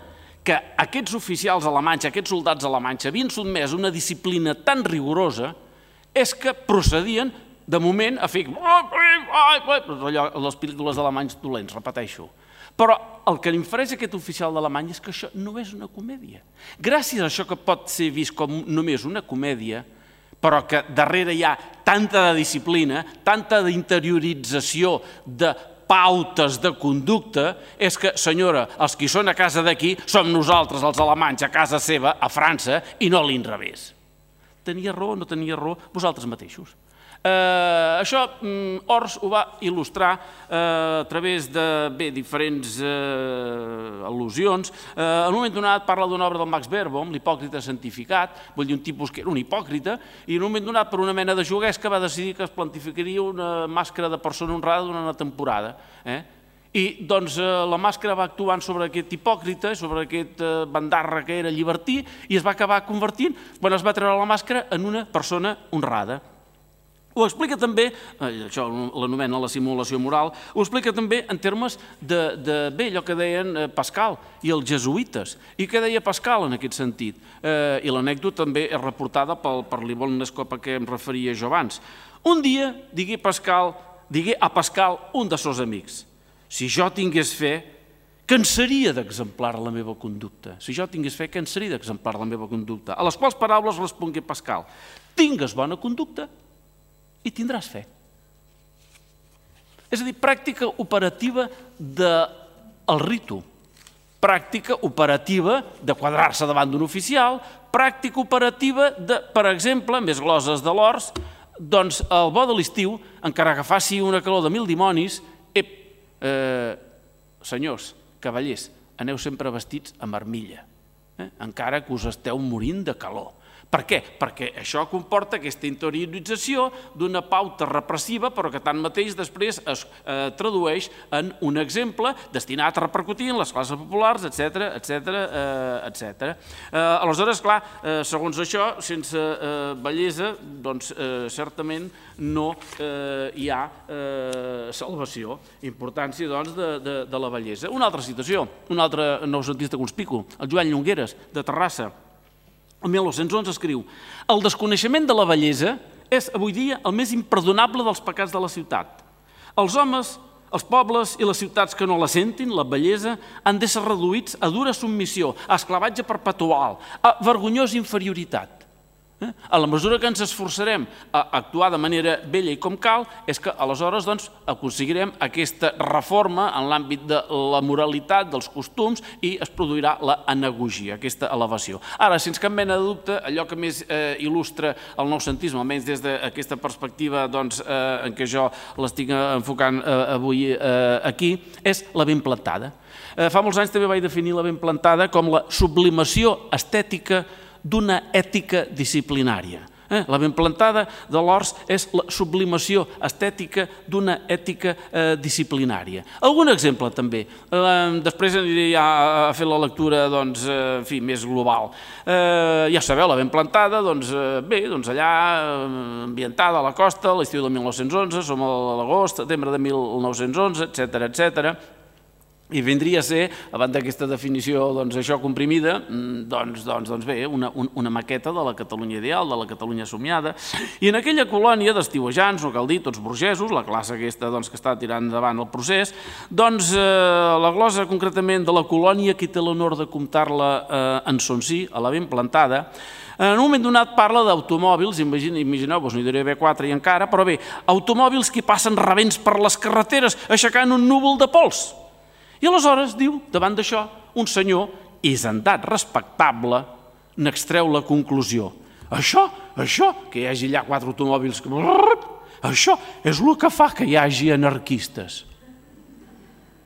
que aquests oficials alemanys, aquests soldats alemanys havien sotmès una disciplina tan rigorosa, és que procedien, de moment, a fer les pel·lícules alemanys dolents, repeteixo. Però el que infereix aquest oficial d'Alemany és que això no és una comèdia. Gràcies a això que pot ser vist com només una comèdia, però que darrere hi ha tanta de disciplina, tanta d'interiorització de pautes de conducta, és que, senyora, els que són a casa d'aquí som nosaltres, els alemanys, a casa seva, a França, i no a l'inrevés. Tenia raó o no tenia raó? Vosaltres mateixos. Això Ors ho va il·lustrar a través de diferents al·lusions. En un moment donat parla d'una obra del Max Beerbohm, l'hipòcrita santificat, vull dir un tipus que era un hipòcrita, i en un moment donat per una mena de juguesca va decidir que es plantificaria una màscara de persona honrada durant una temporada. I doncs la màscara va actuant sobre aquest hipòcrita, sobre aquest bandarra que era llibertí, i es va acabar convertint, quan es va treure la màscara, en una persona honrada. Ho explica també, això l'anomena la simulació moral, ho explica també en termes de, bé, allò que deien Pascal i els jesuïtes. I què deia Pascal en aquest sentit? I l'anècdota també és reportada per l'Yvonne Lescopa que em referia jo abans. Un dia digué a Pascal un dels seus amics: si jo tingués fe, cansaria d'exemplar la meva conducta. Si jo tingués fe, cansaria d'exemplar la meva conducta. A les quals paraules respongué Pascal: tingues bona conducta i tindràs fe. És a dir, pràctica operativa del ritu, pràctica operativa de quadrar-se davant d'un oficial, pràctica operativa de, per exemple, més gloses de l'Ors, doncs el bo de l'estiu, encara que faci una calor de mil dimonis, ep, senyors, cavallers, aneu sempre vestits amb armilla, encara que us esteu morint de calor, Per què? Perquè això comporta aquesta interiorització d'una pauta repressiva, però que tanmateix després es eh, tradueix en un exemple destinat a repercutir en les classes populars, etcètera, etcètera, eh, etcètera. Eh, aleshores, clar, eh, segons això, sense eh, bellesa, doncs eh, certament no eh, hi ha eh, salvació. Importància, doncs, de, de, de la bellesa. Una altra situació, un altre noucentista conspicu, el Joan Llongueres, de Terrassa, el mil nou-cents onze escriu: el desconeixement de la bellesa és avui dia el més imperdonable dels pecats de la ciutat. Els homes, els pobles i les ciutats que no la sentin, la bellesa, han d'ésser reduïts a dura submissió, a esclavatge perpetual, a vergonyosa inferioritat. A la mesura que ens esforçarem a actuar de manera bella i com cal, és que aleshores doncs, aconseguirem aquesta reforma en l'àmbit de la moralitat, dels costums, i es produirà l'anagogia, aquesta elevació. Ara, sense cap mena de dubte, allò que més eh, il·lustra el noucentisme, almenys des d'aquesta perspectiva doncs, eh, en què jo l'estic enfocant eh, avui eh, aquí, és la ben plantada. Eh, fa molts anys també vaig definir la ben plantada com la sublimació estètica d'una ètica disciplinària. Eh? La ben plantada de l'Ors és la sublimació estètica d'una ètica eh, disciplinària. Algun exemple també. Eh, després aniré ja a fer la lectura doncs, eh, en fi, més global. Eh, ja sabeu, la ben plantada, doncs, eh, bé, doncs allà eh, ambientada a la costa, l'estiu de mil nou-cents onze, som a l'agost, setembre de mil nou-cents onze, etcètera, etcètera. I vindria a ser, abans d'aquesta definició doncs, això comprimida, doncs, doncs, doncs bé, una, una maqueta de la Catalunya ideal, de la Catalunya somiada. I en aquella colònia d'estiuejants, no cal dir, tots burgesos, la classe aquesta doncs, que està tirant endavant el procés, doncs eh, la glosa concretament de la colònia, qui té l'honor de comptar-la eh, en son si, a la ben plantada, en un moment donat parla d'automòbils, imagineu-vos, no hi diré B quatre i encara, però bé, automòbils que passen rebents per les carreteres aixecant un núvol de pols. I aleshores, diu, davant d'això, un senyor hisendat, respectable, n'extreu la conclusió. Això, això, que hi hagi allà quatre automòbils, això és el que fa que hi hagi anarquistes.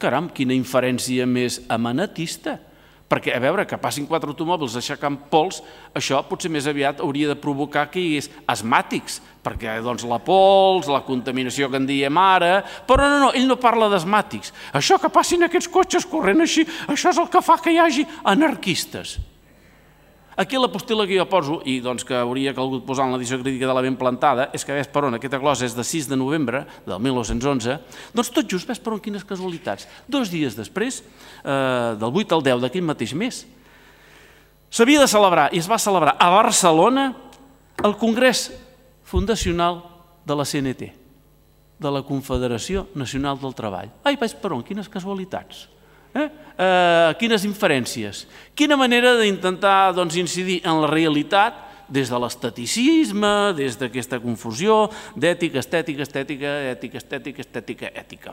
Caram, quina inferència més amanatista. Perquè, a veure, que passin quatre automòbils aixecant pols, això potser més aviat hauria de provocar que hi hagués asmàtics, perquè doncs, la pols, la contaminació que en diem ara... Però no, no, ell no parla d'asmàtics. Això que passin aquests cotxes corrent així, això és el que fa que hi hagi anarquistes. Aquí la postila que jo poso, i doncs que hauria calgut posar en l'edició crítica de la ben plantada, és que ves per on, aquesta glosa és de sis de novembre del mil nou-cents onze, doncs tot just ves per on quines casualitats. Dos dies després, eh, del vuit al deu d'aquell mateix mes, s'havia de celebrar, i es va celebrar a Barcelona, el Congrés Fundacional de la C N T, de la Confederació Nacional del Treball. Ai, ves per on, quines casualitats. Eh? Eh, quines inferències, quina manera d'intentar doncs, incidir en la realitat des de l'esteticisme, des d'aquesta confusió d'ètica, estètica, estètica, ètica, estètica, estètica, ètica.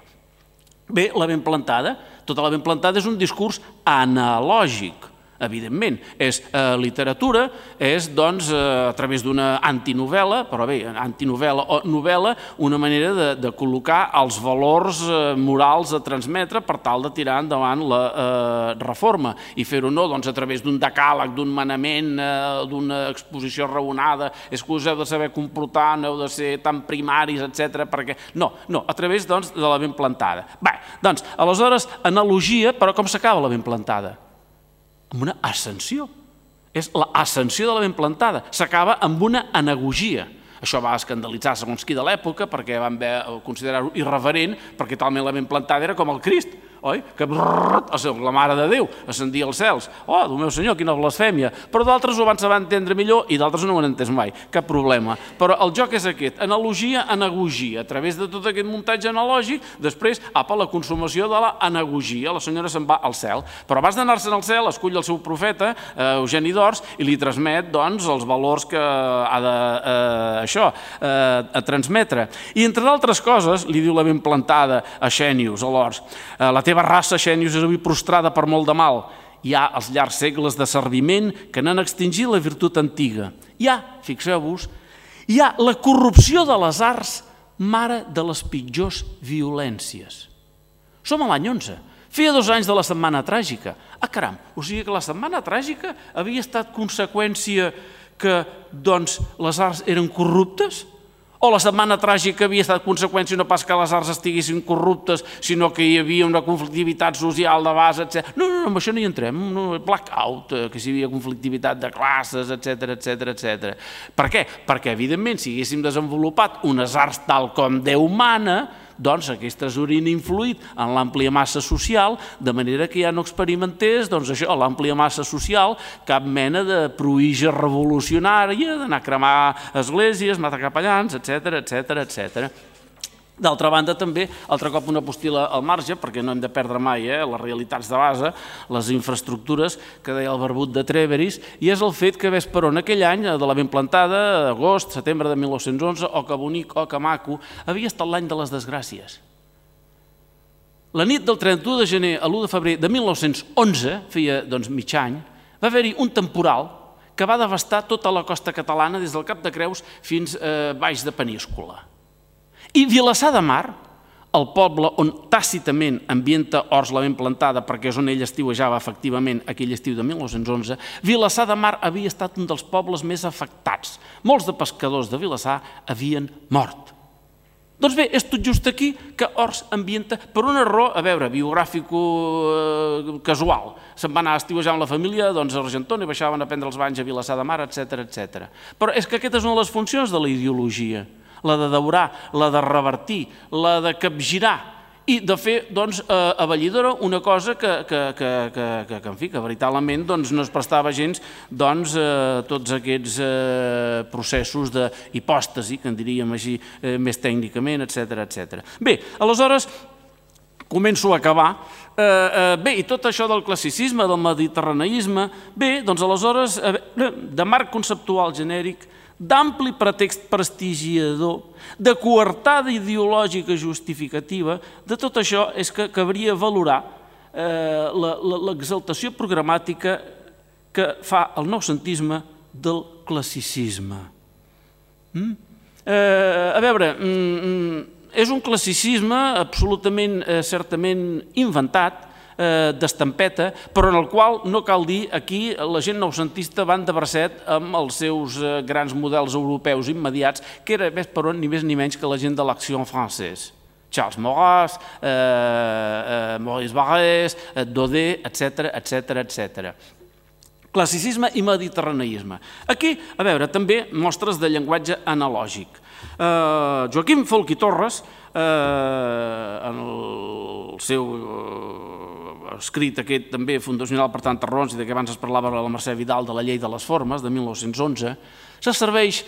Bé, la ben plantada, tota la ben plantada és un discurs analògic, evidentment, és eh, literatura, és doncs eh, a través d'una antinovel·la, però bé, antinovel·la o novel·la, una manera de, de col·locar els valors eh, morals a transmetre per tal de tirar endavant la eh, reforma i fer-ho no doncs, a través d'un decàleg, d'un manament, eh, d'una exposició raonada, és que us heu de saber comportar, no heu de ser tan primaris, etcètera, perquè no, no, a través doncs, de la ben plantada. Bé, doncs, aleshores, analogia, però com s'acaba la ben plantada? Amb una ascensió. És l'ascensió de la ben plantada. S'acaba amb una anagogia. Això va escandalitzar segons qui de l'època perquè van considerar-ho irreverent perquè talment la ben plantada era com el Crist, oi? Que la Mare de Déu ascendia als cels. Oh, Déu meu senyor, quina blasfèmia. Però d'altres ho van saber entendre millor i d'altres no ho han entès mai. Cap problema. Però el joc és aquest. Analogia, anagogia. A través de tot aquest muntatge analògic, després, apa, la consumació de la anagogia. La senyora se'n va al cel. Però abans d'anar-se'n al cel, escull el seu profeta, Eugeni d'Ors, i li transmet, doncs, els valors que ha de, eh, això, eh, a transmetre. I, entre d'altres coses, li diu la ben plantada a Xènius, a l'Ors, eh, la teva raça, Xènius, és avui prostrada per molt de mal. Hi ha els llargs segles de serviment que n'han extingit la virtut antiga. Hi ha, fixeu-vos, hi ha la corrupció de les arts, mare de les pitjors violències. Som a l'any onze. Feia dos anys de la Setmana Tràgica. Ah, caram, o sigui que la Setmana Tràgica havia estat conseqüència que les arts eren corruptes? O la setmana tràgica havia estat conseqüència no pas que les arts estiguessin corruptes, sinó que hi havia una conflictivitat social de base, etcètera. No, no, amb això no hi entrem, blackout, que si hi havia conflictivitat de classes, etcètera, etcètera, etcètera. Per què? Perquè, evidentment, si haguéssim desenvolupat unes arts tal com Déu mana, doncs aquestes haurien influït en l'àmplia massa social, de manera que ja no experimentés, doncs això, l'àmplia massa social, cap mena de pruïja revolucionària, d'anar a cremar esglésies, matar capellans, etcètera, etcètera, etcètera. D'altra banda, també, altre cop una postila al marge, perquè no hem de perdre mai les realitats de base, les infraestructures, que deia el barbut de Trèveris, i és el fet que ves per on aquell any, de la ben plantada, agost, setembre de mil nou-cents onze, o que bonic, o que maco, havia estat l'any de les desgràcies. La nit del trenta-u de gener a l'u de febrer de mil nou-cents onze, feia mig any, va haver-hi un temporal que va devastar tota la costa catalana des del Cap de Creus fins a baix de Peníscola. I Vilassar de Mar, el poble on tàcitament ambienta Ors la ben plantada, perquè és on ell estiuejava efectivament aquell estiu de mil nou-cents onze, Vilassar de Mar havia estat un dels pobles més afectats. Molts de pescadors de Vilassar havien mort. Doncs bé, és tot just aquí que Ors ambienta, per un error, a veure, biogràfico-casual. Se'n va anar a estiuejar amb la família a Argentona i baixaven a prendre els banys a Vilassar de Mar, etcètera, etcètera. Però és que aquesta és una de les funcions de la ideologia, la de daurar, la de revertir, la de capgirar i de fer a Vallidora una cosa que, en fi, que veritablement no es prestava gens a tots aquests processos d'hipòstasi, que en diríem així més tècnicament, etcètera, etcètera. Bé, aleshores, començo a acabar. Bé, i tot això del classicisme, del mediterraneisme, bé, doncs aleshores, de marc conceptual genèric, d'ampli pretext prestigiador, de coartada ideològica justificativa, de tot això és que cabria valorar l'exaltació programàtica que fa el noucentisme del classicisme. A veure, és un classicisme absolutament, certament inventat, d'estampeta, però en el qual no cal dir aquí la gent noucentista van de bracet amb els seus grans models europeus immediats, que era més per on ni més ni menys que la gent de l'Action Française. Charles Maurras, Maurice Barrès, Daudet, etcètera, etcètera, etcètera. Classicisme i mediterraneisme. Aquí, a veure, també mostres de llenguatge analògic. Joaquim Folch i Torres, en el seu escrit aquest també fundacional per tantes raons i de què abans es parlava la Mercè Vidal de la llei de les formes de mil nou-cents onze, se serveix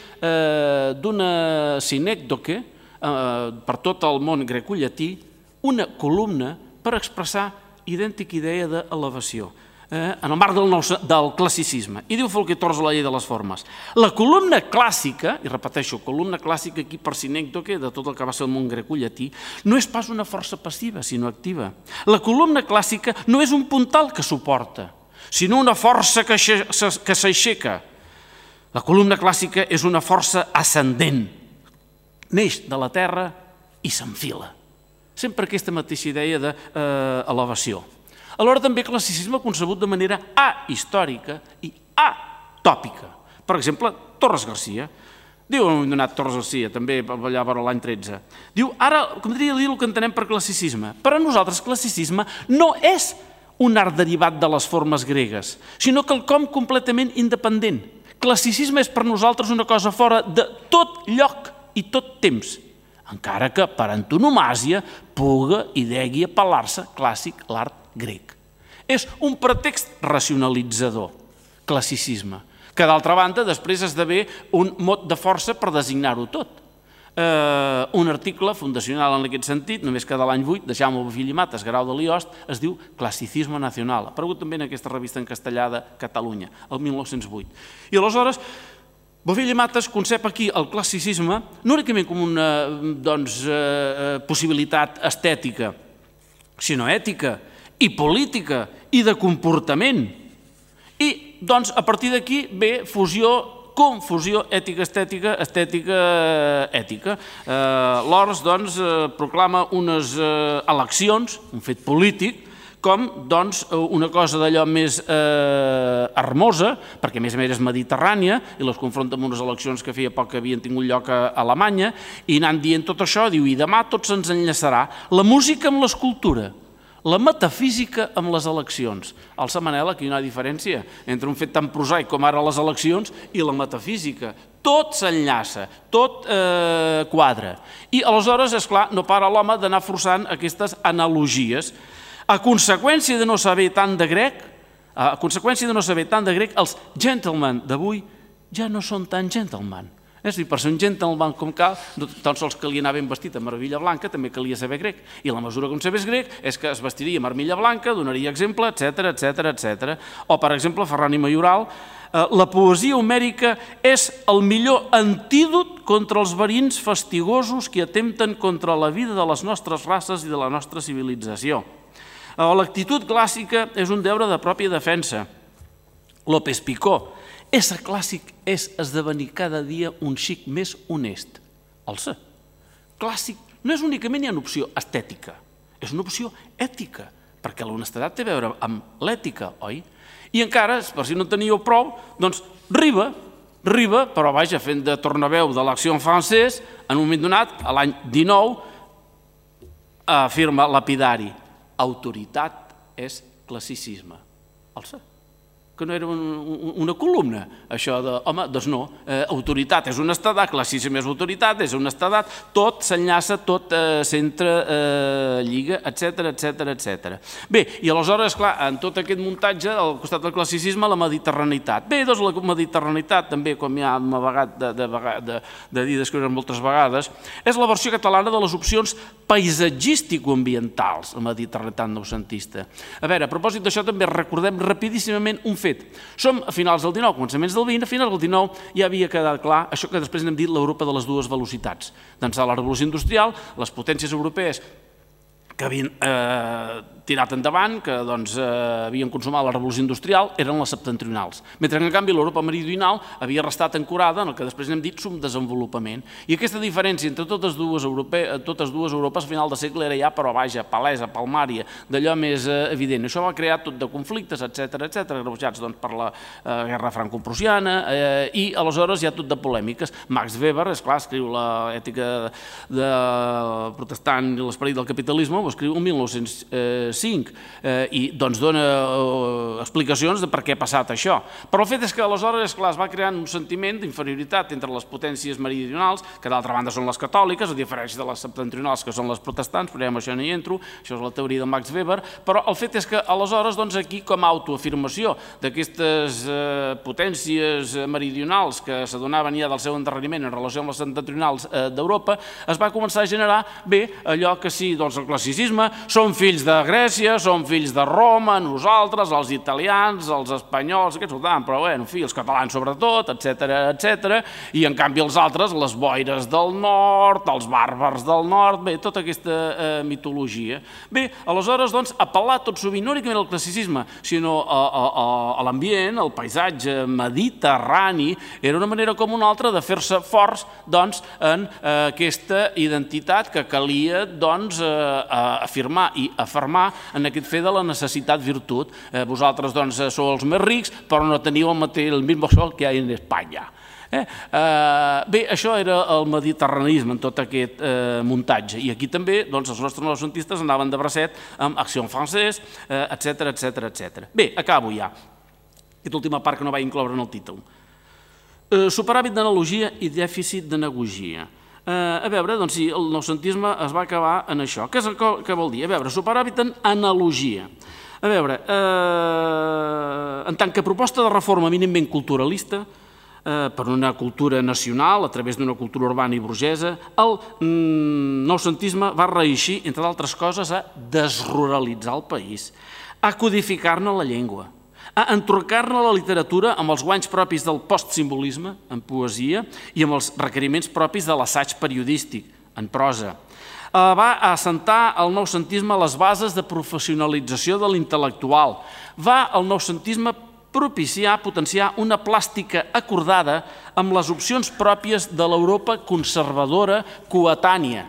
d'una sinècdoque per tot el món grecollatí, una columna per expressar idèntica idea d'elevació en el marc del classicisme. I diu Folch i Torres a la llei de les formes. La columna clàssica, i repeteixo, columna clàssica aquí per sinècdoque de tot el que va ser el món grecollatí, no és pas una força passiva, sinó activa. La columna clàssica no és un puntal que suporta, sinó una força que s'aixeca. La columna clàssica és una força ascendent. Neix de la terra i s'enfila. Sempre aquesta mateixa idea d'elevació. Alhora també classicisme concebut de manera ahistòrica i atòpica. Per exemple, Torres Garcia. Diu, hem donat Torres Garcia, també allà per l'any tretze. Diu, ara, com diria dir el que entenem per classicisme. Per a nosaltres, classicisme no és un art derivat de les formes gregues, sinó quelcom completament independent. Classicisme és per nosaltres una cosa fora de tot lloc i tot temps, encara que per antonomàsia puga i degui apel·lar-se clàssic l'art grec. És un pretext racionalitzador, classicisme, que d'altra banda després esdevé un mot de força per designar-ho tot. Un article fundacional en aquest sentit, només que de l'any vuit, de Jaume Bofill i Matas, Grau de Liost, es diu Classicisme Nacional. Ha aparegut també en aquesta revista en castellà de Catalunya, el mil nou-cents vuit. I aleshores, Bofill i Matas concep aquí el classicisme no únicament com una possibilitat estètica, sinó ètica i política i de comportament. I, doncs, a partir d'aquí ve fusió, confusió ètica-estètica, estètica-ètica. L'Ors, doncs, proclama unes eleccions, un fet polític, com una cosa d'allò més hermosa, perquè a més a més és mediterrània, i les confronta amb unes eleccions que feia poc que havien tingut lloc a Alemanya, i anant dient tot això, diu, i demà tot se'ns enllaçarà la música amb l'escultura, la metafísica amb les eleccions. Alça Manel, aquí hi ha una diferència entre un fet tan prosaic com ara les eleccions i la metafísica. Tot s'enllaça, tot quadra. I aleshores, esclar, no para l'home d'anar forçant aquestes analogies. A conseqüència de no saber tant de grec, a conseqüència de no saber tant de grec, els gentlemen d'avui ja no són tan gentlemen. És a dir, per ser un gentleman com cal, no tan sols calia anar ben vestit amb armilla blanca, també calia saber grec. I la mesura que un sabés grec és que es vestiria amb armilla blanca, donaria exemple, etcètera, etcètera, etcètera. O, per exemple, Ferran i Mayoral, la poesia homèrica és el millor antídot contra els verins fastigosos que atempten contra la vida de les nostres races i de la nostra civilització. L'actitud clàssica és un deure de pròpia defensa. López Picó, ésser clàssic és esdevenir cada dia un xic més honest. Alça, clàssic no és únicament una opció estètica, és una opció ètica, perquè l'honestedat té a veure amb l'ètica, oi? I encara, per si no en teníeu prou, doncs Riba, Riba, però vaja, fent de tornaveu de l'Acció francès, en un moment donat, a l'any dinou, afirma lapidari, autoritat és classicisme. Alça, que no era una columna, això de, home, doncs no, autoritat és honestedat, classicisme és autoritat, és honestedat, tot s'enllaça, tot s'entra, lliga, etcètera, etcètera, etcètera. Bé, i aleshores, esclar, en tot aquest muntatge, al costat del classicisme, la mediterranitat. Bé, doncs la mediterranitat, també, com ja hem avagat de dir, d'escriure moltes vegades, és la versió catalana de les opcions paisatgístico-ambientals, la mediterranitat noucentista. A veure, a propòsit d'això també recordem rapidíssimament un fet. Som a finals del dinou, començaments del vint, a finals del dinou ja havia quedat clar això que després n'hem dit l'Europa de les dues velocitats. D'ençà de la revolució industrial, les potències europees que havien tirat endavant, que havien consumat la revolució industrial, eren les septentrionals. Mentre que, en canvi, l'Europa meridional havia restat ancorada en el que després n'hem dit subdesenvolupament. I aquesta diferència entre totes dues Europes a final de segle era ja, però vaja, palesa, palmària, d'allò més evident. Això va crear tot de conflictes, etcètera, etcètera, agreujats per la guerra franco-prussiana i, aleshores, hi ha tot de polèmiques. Max Weber, esclar, escriu l'ètica protestant i l'esperit del capitalisme, ho escriu el mil nou-cents cinc i doncs dona explicacions de per què ha passat això. Però el fet és que aleshores, esclar, es va creant un sentiment d'inferioritat entre les potències meridionals, que d'altra banda són les catòliques, a diferència de les septentrionals, que són les protestants, però amb això no hi entro, això és la teoria de Max Weber, però el fet és que aleshores, doncs aquí, com a autoafirmació d'aquestes potències meridionals que s'adonaven ja del seu endarreriment en relació amb les septentrionals d'Europa, es va començar a generar, bé, allò que sí, doncs el classicisme, som fills de Grècia, som fills de Roma, nosaltres, els italians, els espanyols, aquests votaven, però bé, en fi, els catalans sobretot, etcètera, etcètera, i en canvi els altres, les boires del nord, els bàrbars del nord, bé, tota aquesta mitologia. Bé, aleshores, doncs, apel·lar tot sovint, no únicament al classicisme, sinó a l'ambient, al paisatge mediterrani, era una manera com una altra de fer-se forts, doncs, en aquesta identitat que calia, doncs, afirmar i afermar en aquest fet de la necessitat virtut. Vosaltres, doncs, sou els més rics, però no teniu el mismo sol que hi ha en Espanya. Bé, això era el mediterranisme en tot aquest muntatge. I aquí també, doncs, els nostres noucentistes anaven de bracet amb Acció francès, etcètera, etcètera, etcètera. Bé, acabo ja. Aquesta última part que no vaig incloure en el títol. Superàvit d'analogia i dèficit d'anagogia. A veure, doncs sí, el noucentisme es va acabar en això. Què vol dir? A veure, superàvit en analogia. A veure, en tant que proposta de reforma eminentment culturalista, per una cultura nacional, a través d'una cultura urbana i burgesa, el noucentisme va reeixir, entre d'altres coses, a desruralitzar el país, a codificar-ne la llengua, a entorcar-ne la literatura amb els guanys propis del postsimbolisme, en poesia, i amb els requeriments propis de l'assaig periodístic, en prosa. Va assentar el noucentisme les bases de professionalització de l'intel·lectual. Va el noucentisme propiciar, potenciar una plàstica acordada amb les opcions pròpies de l'Europa conservadora coetània.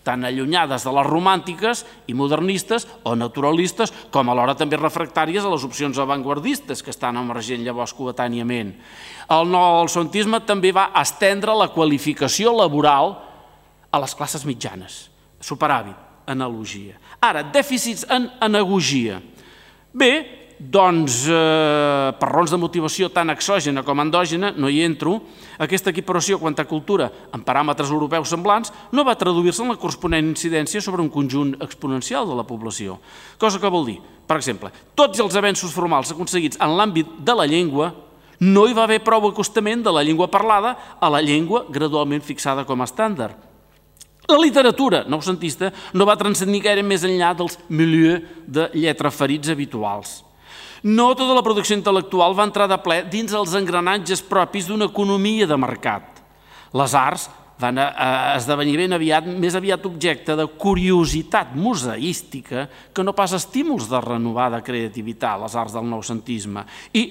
tan allunyades de les romàntiques i modernistes o naturalistes, com alhora també refractàries a les opcions avantguardistes que estan emergent llavors coetàniament. El noucentisme també va estendre la qualificació laboral a les classes mitjanes. Superàvit, analogia. Ara, dèficits en anagogia. Bé, doncs, eh, per raons de motivació tant exògena com endògena, no hi entro, aquesta equiparació quant a cultura en paràmetres europeus semblants no va traduir-se en la corresponent incidència sobre un conjunt exponencial de la població. Cosa que vol dir, per exemple, tots els avenços formals aconseguits en l'àmbit de la llengua no hi va haver prou acostament de la llengua parlada a la llengua gradualment fixada com a estàndard. La literatura noucentista no va transcendir gaire més enllà dels milieux de lletraferits habituals. No tota la producció intel·lectual va entrar de ple dins els engranatges propis d'una economia de mercat. Les arts van esdevenir ben aviat més aviat objecte de curiositat museística que no pas estímuls de renovada creativitat, les arts del noucentisme. I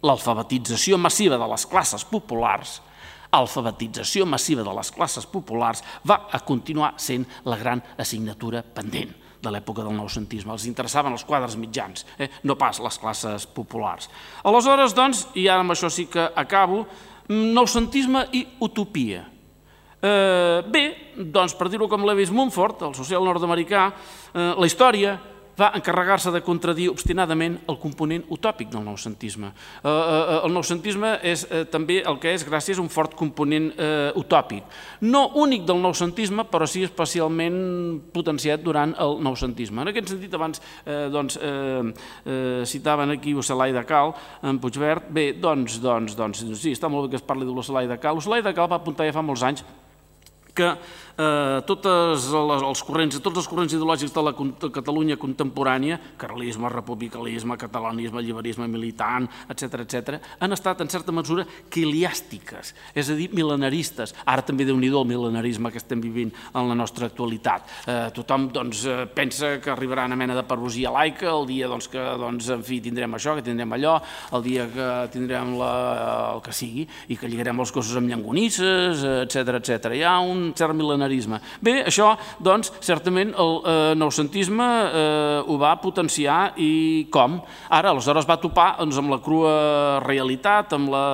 l'alfabetització massiva de les classes populars alfabetització massiva de les classes populars va a continuar sent la gran assignatura pendent de l'època del noucentisme. Els interessaven els quadres mitjans, eh? no pas les classes populars. Aleshores, doncs, i ara amb això sí que acabo, noucentisme i utopia. Eh, bé, doncs, per dir-ho com Lewis Mumford, el social nord-americà, eh, la història va encarregar-se de contradir obstinadament el component utòpic del noucentisme. Eh, eh, el noucentisme és eh, també el que és gràcies a un fort component eh, utòpic. No únic del noucentisme, però sí especialment potenciat durant el noucentisme. En aquest sentit, abans eh, doncs, eh, eh, citaven aquí Ocelai de Cal, en Puigverd. Bé, doncs, doncs, doncs, sí, està molt bé que es parli de l'Ocelai de Cal. L'Ocelai de Cal va apuntar ja fa molts anys que eh, totes les, els corrents, tots els corrents ideològics de la Catalunya contemporània, carlisme, republicanisme, catalanisme, lliberisme militant, etcètera, etcètera, han estat en certa mesura quiliàstiques, és a dir, mil·lenaristes. Ara també déu-n'hi-do el mil·lenarisme que estem vivint en la nostra actualitat. Eh, tothom doncs, pensa que arribarà una mena de perusia laica el dia doncs, que doncs, en fi, tindrem això, que tindrem allò, el dia que tindrem la, el que sigui, i que lligarem els cossos amb llangonisses, etcètera, etcètera. Hi ha un cert mil·lenarisme. Bé, això, doncs, certament el eh, noucentisme eh, ho va potenciar i com? Ara, aleshores va topar doncs, amb la crua realitat, amb la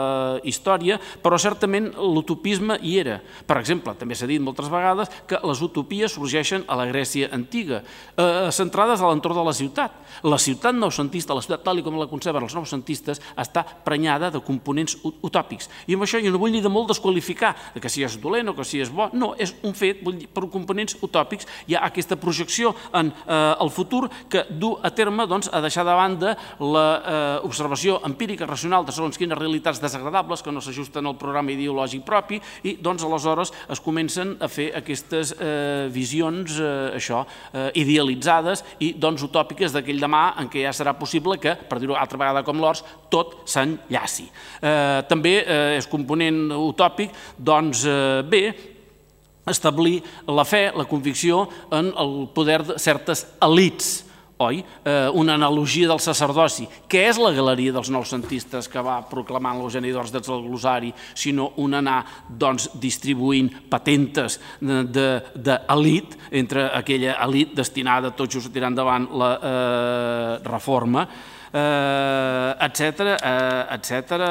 història, però certament l'utopisme hi era. Per exemple, també s'ha dit moltes vegades que les utopies sorgeixen a la Grècia antiga, eh, centrades a l'entorn de la ciutat. La ciutat noucentista, la ciutat tal com la conceben els noucentistes, està prenyada de components utòpics. I amb això jo no vull ni de molt desqualificar que si és dolent o que si és bo, no, és un fet, vull dir, per components utòpics hi ha aquesta projecció en eh, el futur que du a terme doncs, a deixar de banda l'observació eh, empírica, racional de segons quines realitats desagradables que no s'ajusten al programa ideològic propi i doncs aleshores es comencen a fer aquestes eh, visions eh, això, eh, idealitzades i doncs utòpiques d'aquell demà en què ja serà possible que, per dir-ho altra vegada com l'Ors, tot s'enllaci. Eh, també eh, és component utòpic, doncs eh, bé, establir la fe, la convicció en el poder de certes elits, oi? Eh, una analogia del sacerdoci. Què és la galeria dels noucentistes que va proclamant l'Eugeni d'Ors des del glosari, sinó un anar doncs, distribuint patentes d'elit, entre aquella elit destinada tot just a tirar endavant la eh, reforma, etcètera, etcètera,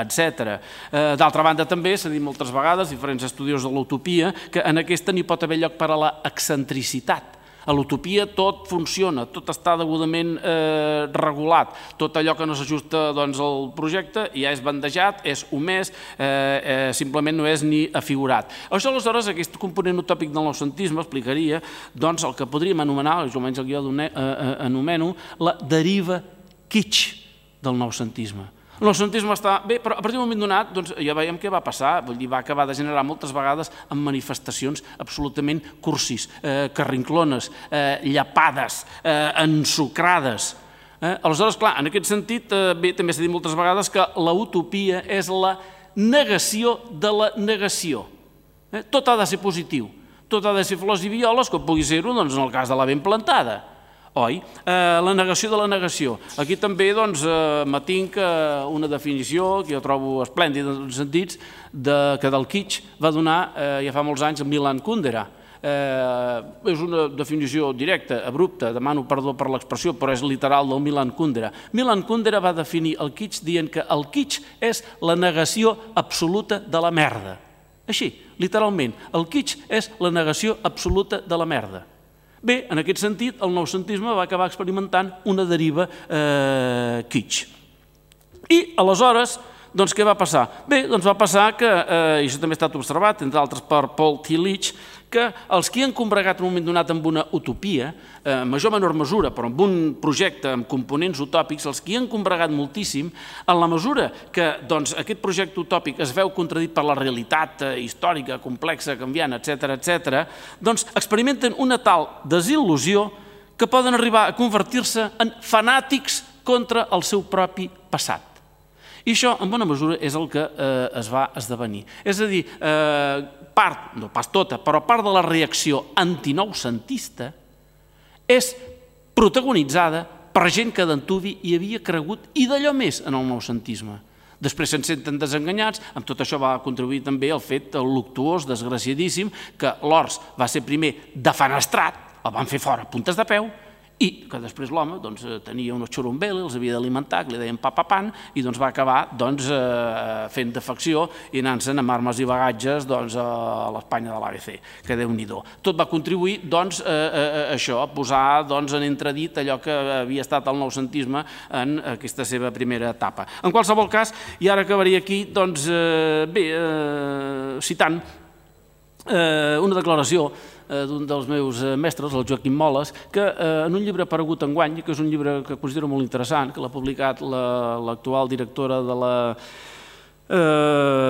etcètera. D'altra banda també s'ha dit moltes vegades, diferents estudiosos de l'utopia, que en aquesta n'hi pot haver lloc per a la excentricitat. A l'utopia tot funciona, tot està degudament eh, regulat, tot allò que no s'ajusta doncs, al projecte ja és bandejat, és omès, eh, eh, simplement no és ni afigurat. Això aleshores, aquest component utòpic del noucentisme explicaria doncs, el que podríem anomenar, almenys el guió anomeno, la deriva kitsch del noucentisme. El noucentisme està bé, però a partir d'un moment donat doncs, ja veiem què va passar, vull dir, va acabar de generar moltes vegades amb manifestacions absolutament cursis, eh, carrinclones, eh, llapades, eh, ensucrades. Eh? Aleshores, clar, en aquest sentit, eh, bé, també s'ha dit moltes vegades que la utopia és la negació de la negació. Eh? Tot ha de ser positiu, tot ha de ser flors i violes, com pugui ser-ho doncs, en el cas de la ben plantada. Oi? Eh, la negació de la negació. Aquí també doncs, eh, m'atinc una definició que jo trobo esplèndida en tots els sentits de, que del kitsch va donar eh, ja fa molts anys Milan Kundera. És una definició directa, abrupta, demano perdó per l'expressió, però és literal del Milan Kundera. Milan Kundera va definir el kitsch dient que el kitsch és la negació absoluta de la merda. Així, literalment, el kitsch és la negació absoluta de la merda. Bé, en aquest sentit, el noucentisme va acabar experimentant una deriva kitsch. I, aleshores, doncs què va passar? Bé, doncs va passar que, i això també ha estat observat, entre altres per Paul Tillich, que els que han combregat en un moment donat amb una utopia, en major o menor mesura, però amb un projecte amb components utòpics, els que han combregat moltíssim, en la mesura que aquest projecte utòpic es veu contradit per la realitat històrica, complexa, canviant, etcètera, etcètera, doncs experimenten una tal desil·lusió que poden arribar a convertir-se en fanàtics contra el seu propi passat. I això, en bona mesura, és el que es va esdevenir. És a dir, part, no pas tota, però part de la reacció antinoucentista és protagonitzada per gent que d'antuvi hi havia cregut i d'allò més en el noucentisme. Després se'n senten desenganyats, amb tot això va contribuir també el fet luctuós, desgraciadíssim, que l'Ors va ser primer defenestrat, el van fer fora a puntes de peu, i que després l'home tenia unos xurumbeli, els havia d'alimentar, que li deien papapan, i va acabar fent defecció i anant-se'n amb armes i bagatges a l'Espanya de l'A B C, que Déu-n'hi-do. Tot va contribuir a això, a posar en entredit allò que havia estat el noucentisme en aquesta seva primera etapa. En qualsevol cas, i ara acabaria aquí, doncs, bé, citant una declaració d'un dels meus mestres, el Joaquim Moles, que en un llibre aparegut enguany, que és un llibre que considero molt interessant, que l'ha publicat l'actual directora de la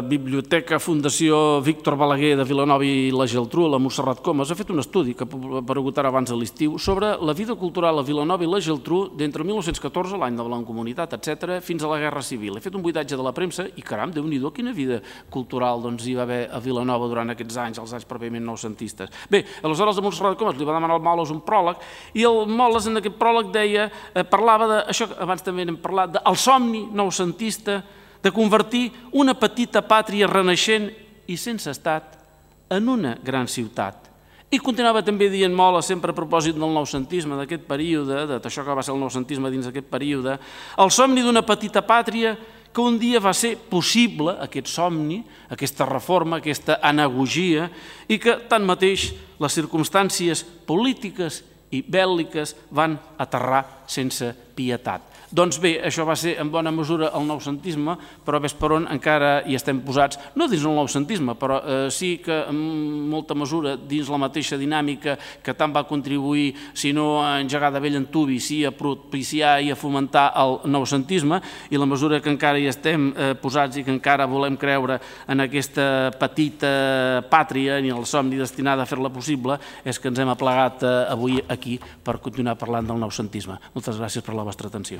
Biblioteca Fundació Víctor Balaguer de Vilanova i la Geltrú, la Montserrat Comas, ha fet un estudi que ha aparegut ara abans de l'estiu sobre la vida cultural a Vilanova i la Geltrú d'entre mil nou-cents catorze, l'any de la Mancomunitat, etcètera, fins a la Guerra Civil. He fet un buidatge de la premsa i, caram, Déu-n'hi-do, quina vida cultural hi va haver a Vilanova durant aquests anys, els anys pròpiament noucentistes. Bé, aleshores a Montserrat Comas li va demanar al Moles un pròleg i el Moles en aquest pròleg deia, parlava d'això que abans també n'hem parlat, del somni noucentista de convertir una petita pàtria renaixent i sense estat en una gran ciutat. I continuava també dient Moles, sempre a propòsit del noucentisme, d'aquest període, d'això que va ser el noucentisme dins d'aquest període, el somni d'una petita pàtria que un dia va ser possible, aquest somni, aquesta reforma, aquesta anagogia, i que, tanmateix, les circumstàncies polítiques i bèl·liques van aterrar sense pietat. Doncs bé, això va ser en bona mesura el noucentisme, però ves per on encara hi estem posats, no dins el noucentisme, però sí que en molta mesura dins la mateixa dinàmica que tant va contribuir, si no a engegar de vell antuvi, sí a propiciar i a fomentar el noucentisme, i la mesura que encara hi estem posats i que encara volem creure en aquesta petita pàtria i el somni destinat a fer-la possible, és que ens hem aplegat avui aquí per continuar parlant del noucentisme. Moltes gràcies per la vostra atenció.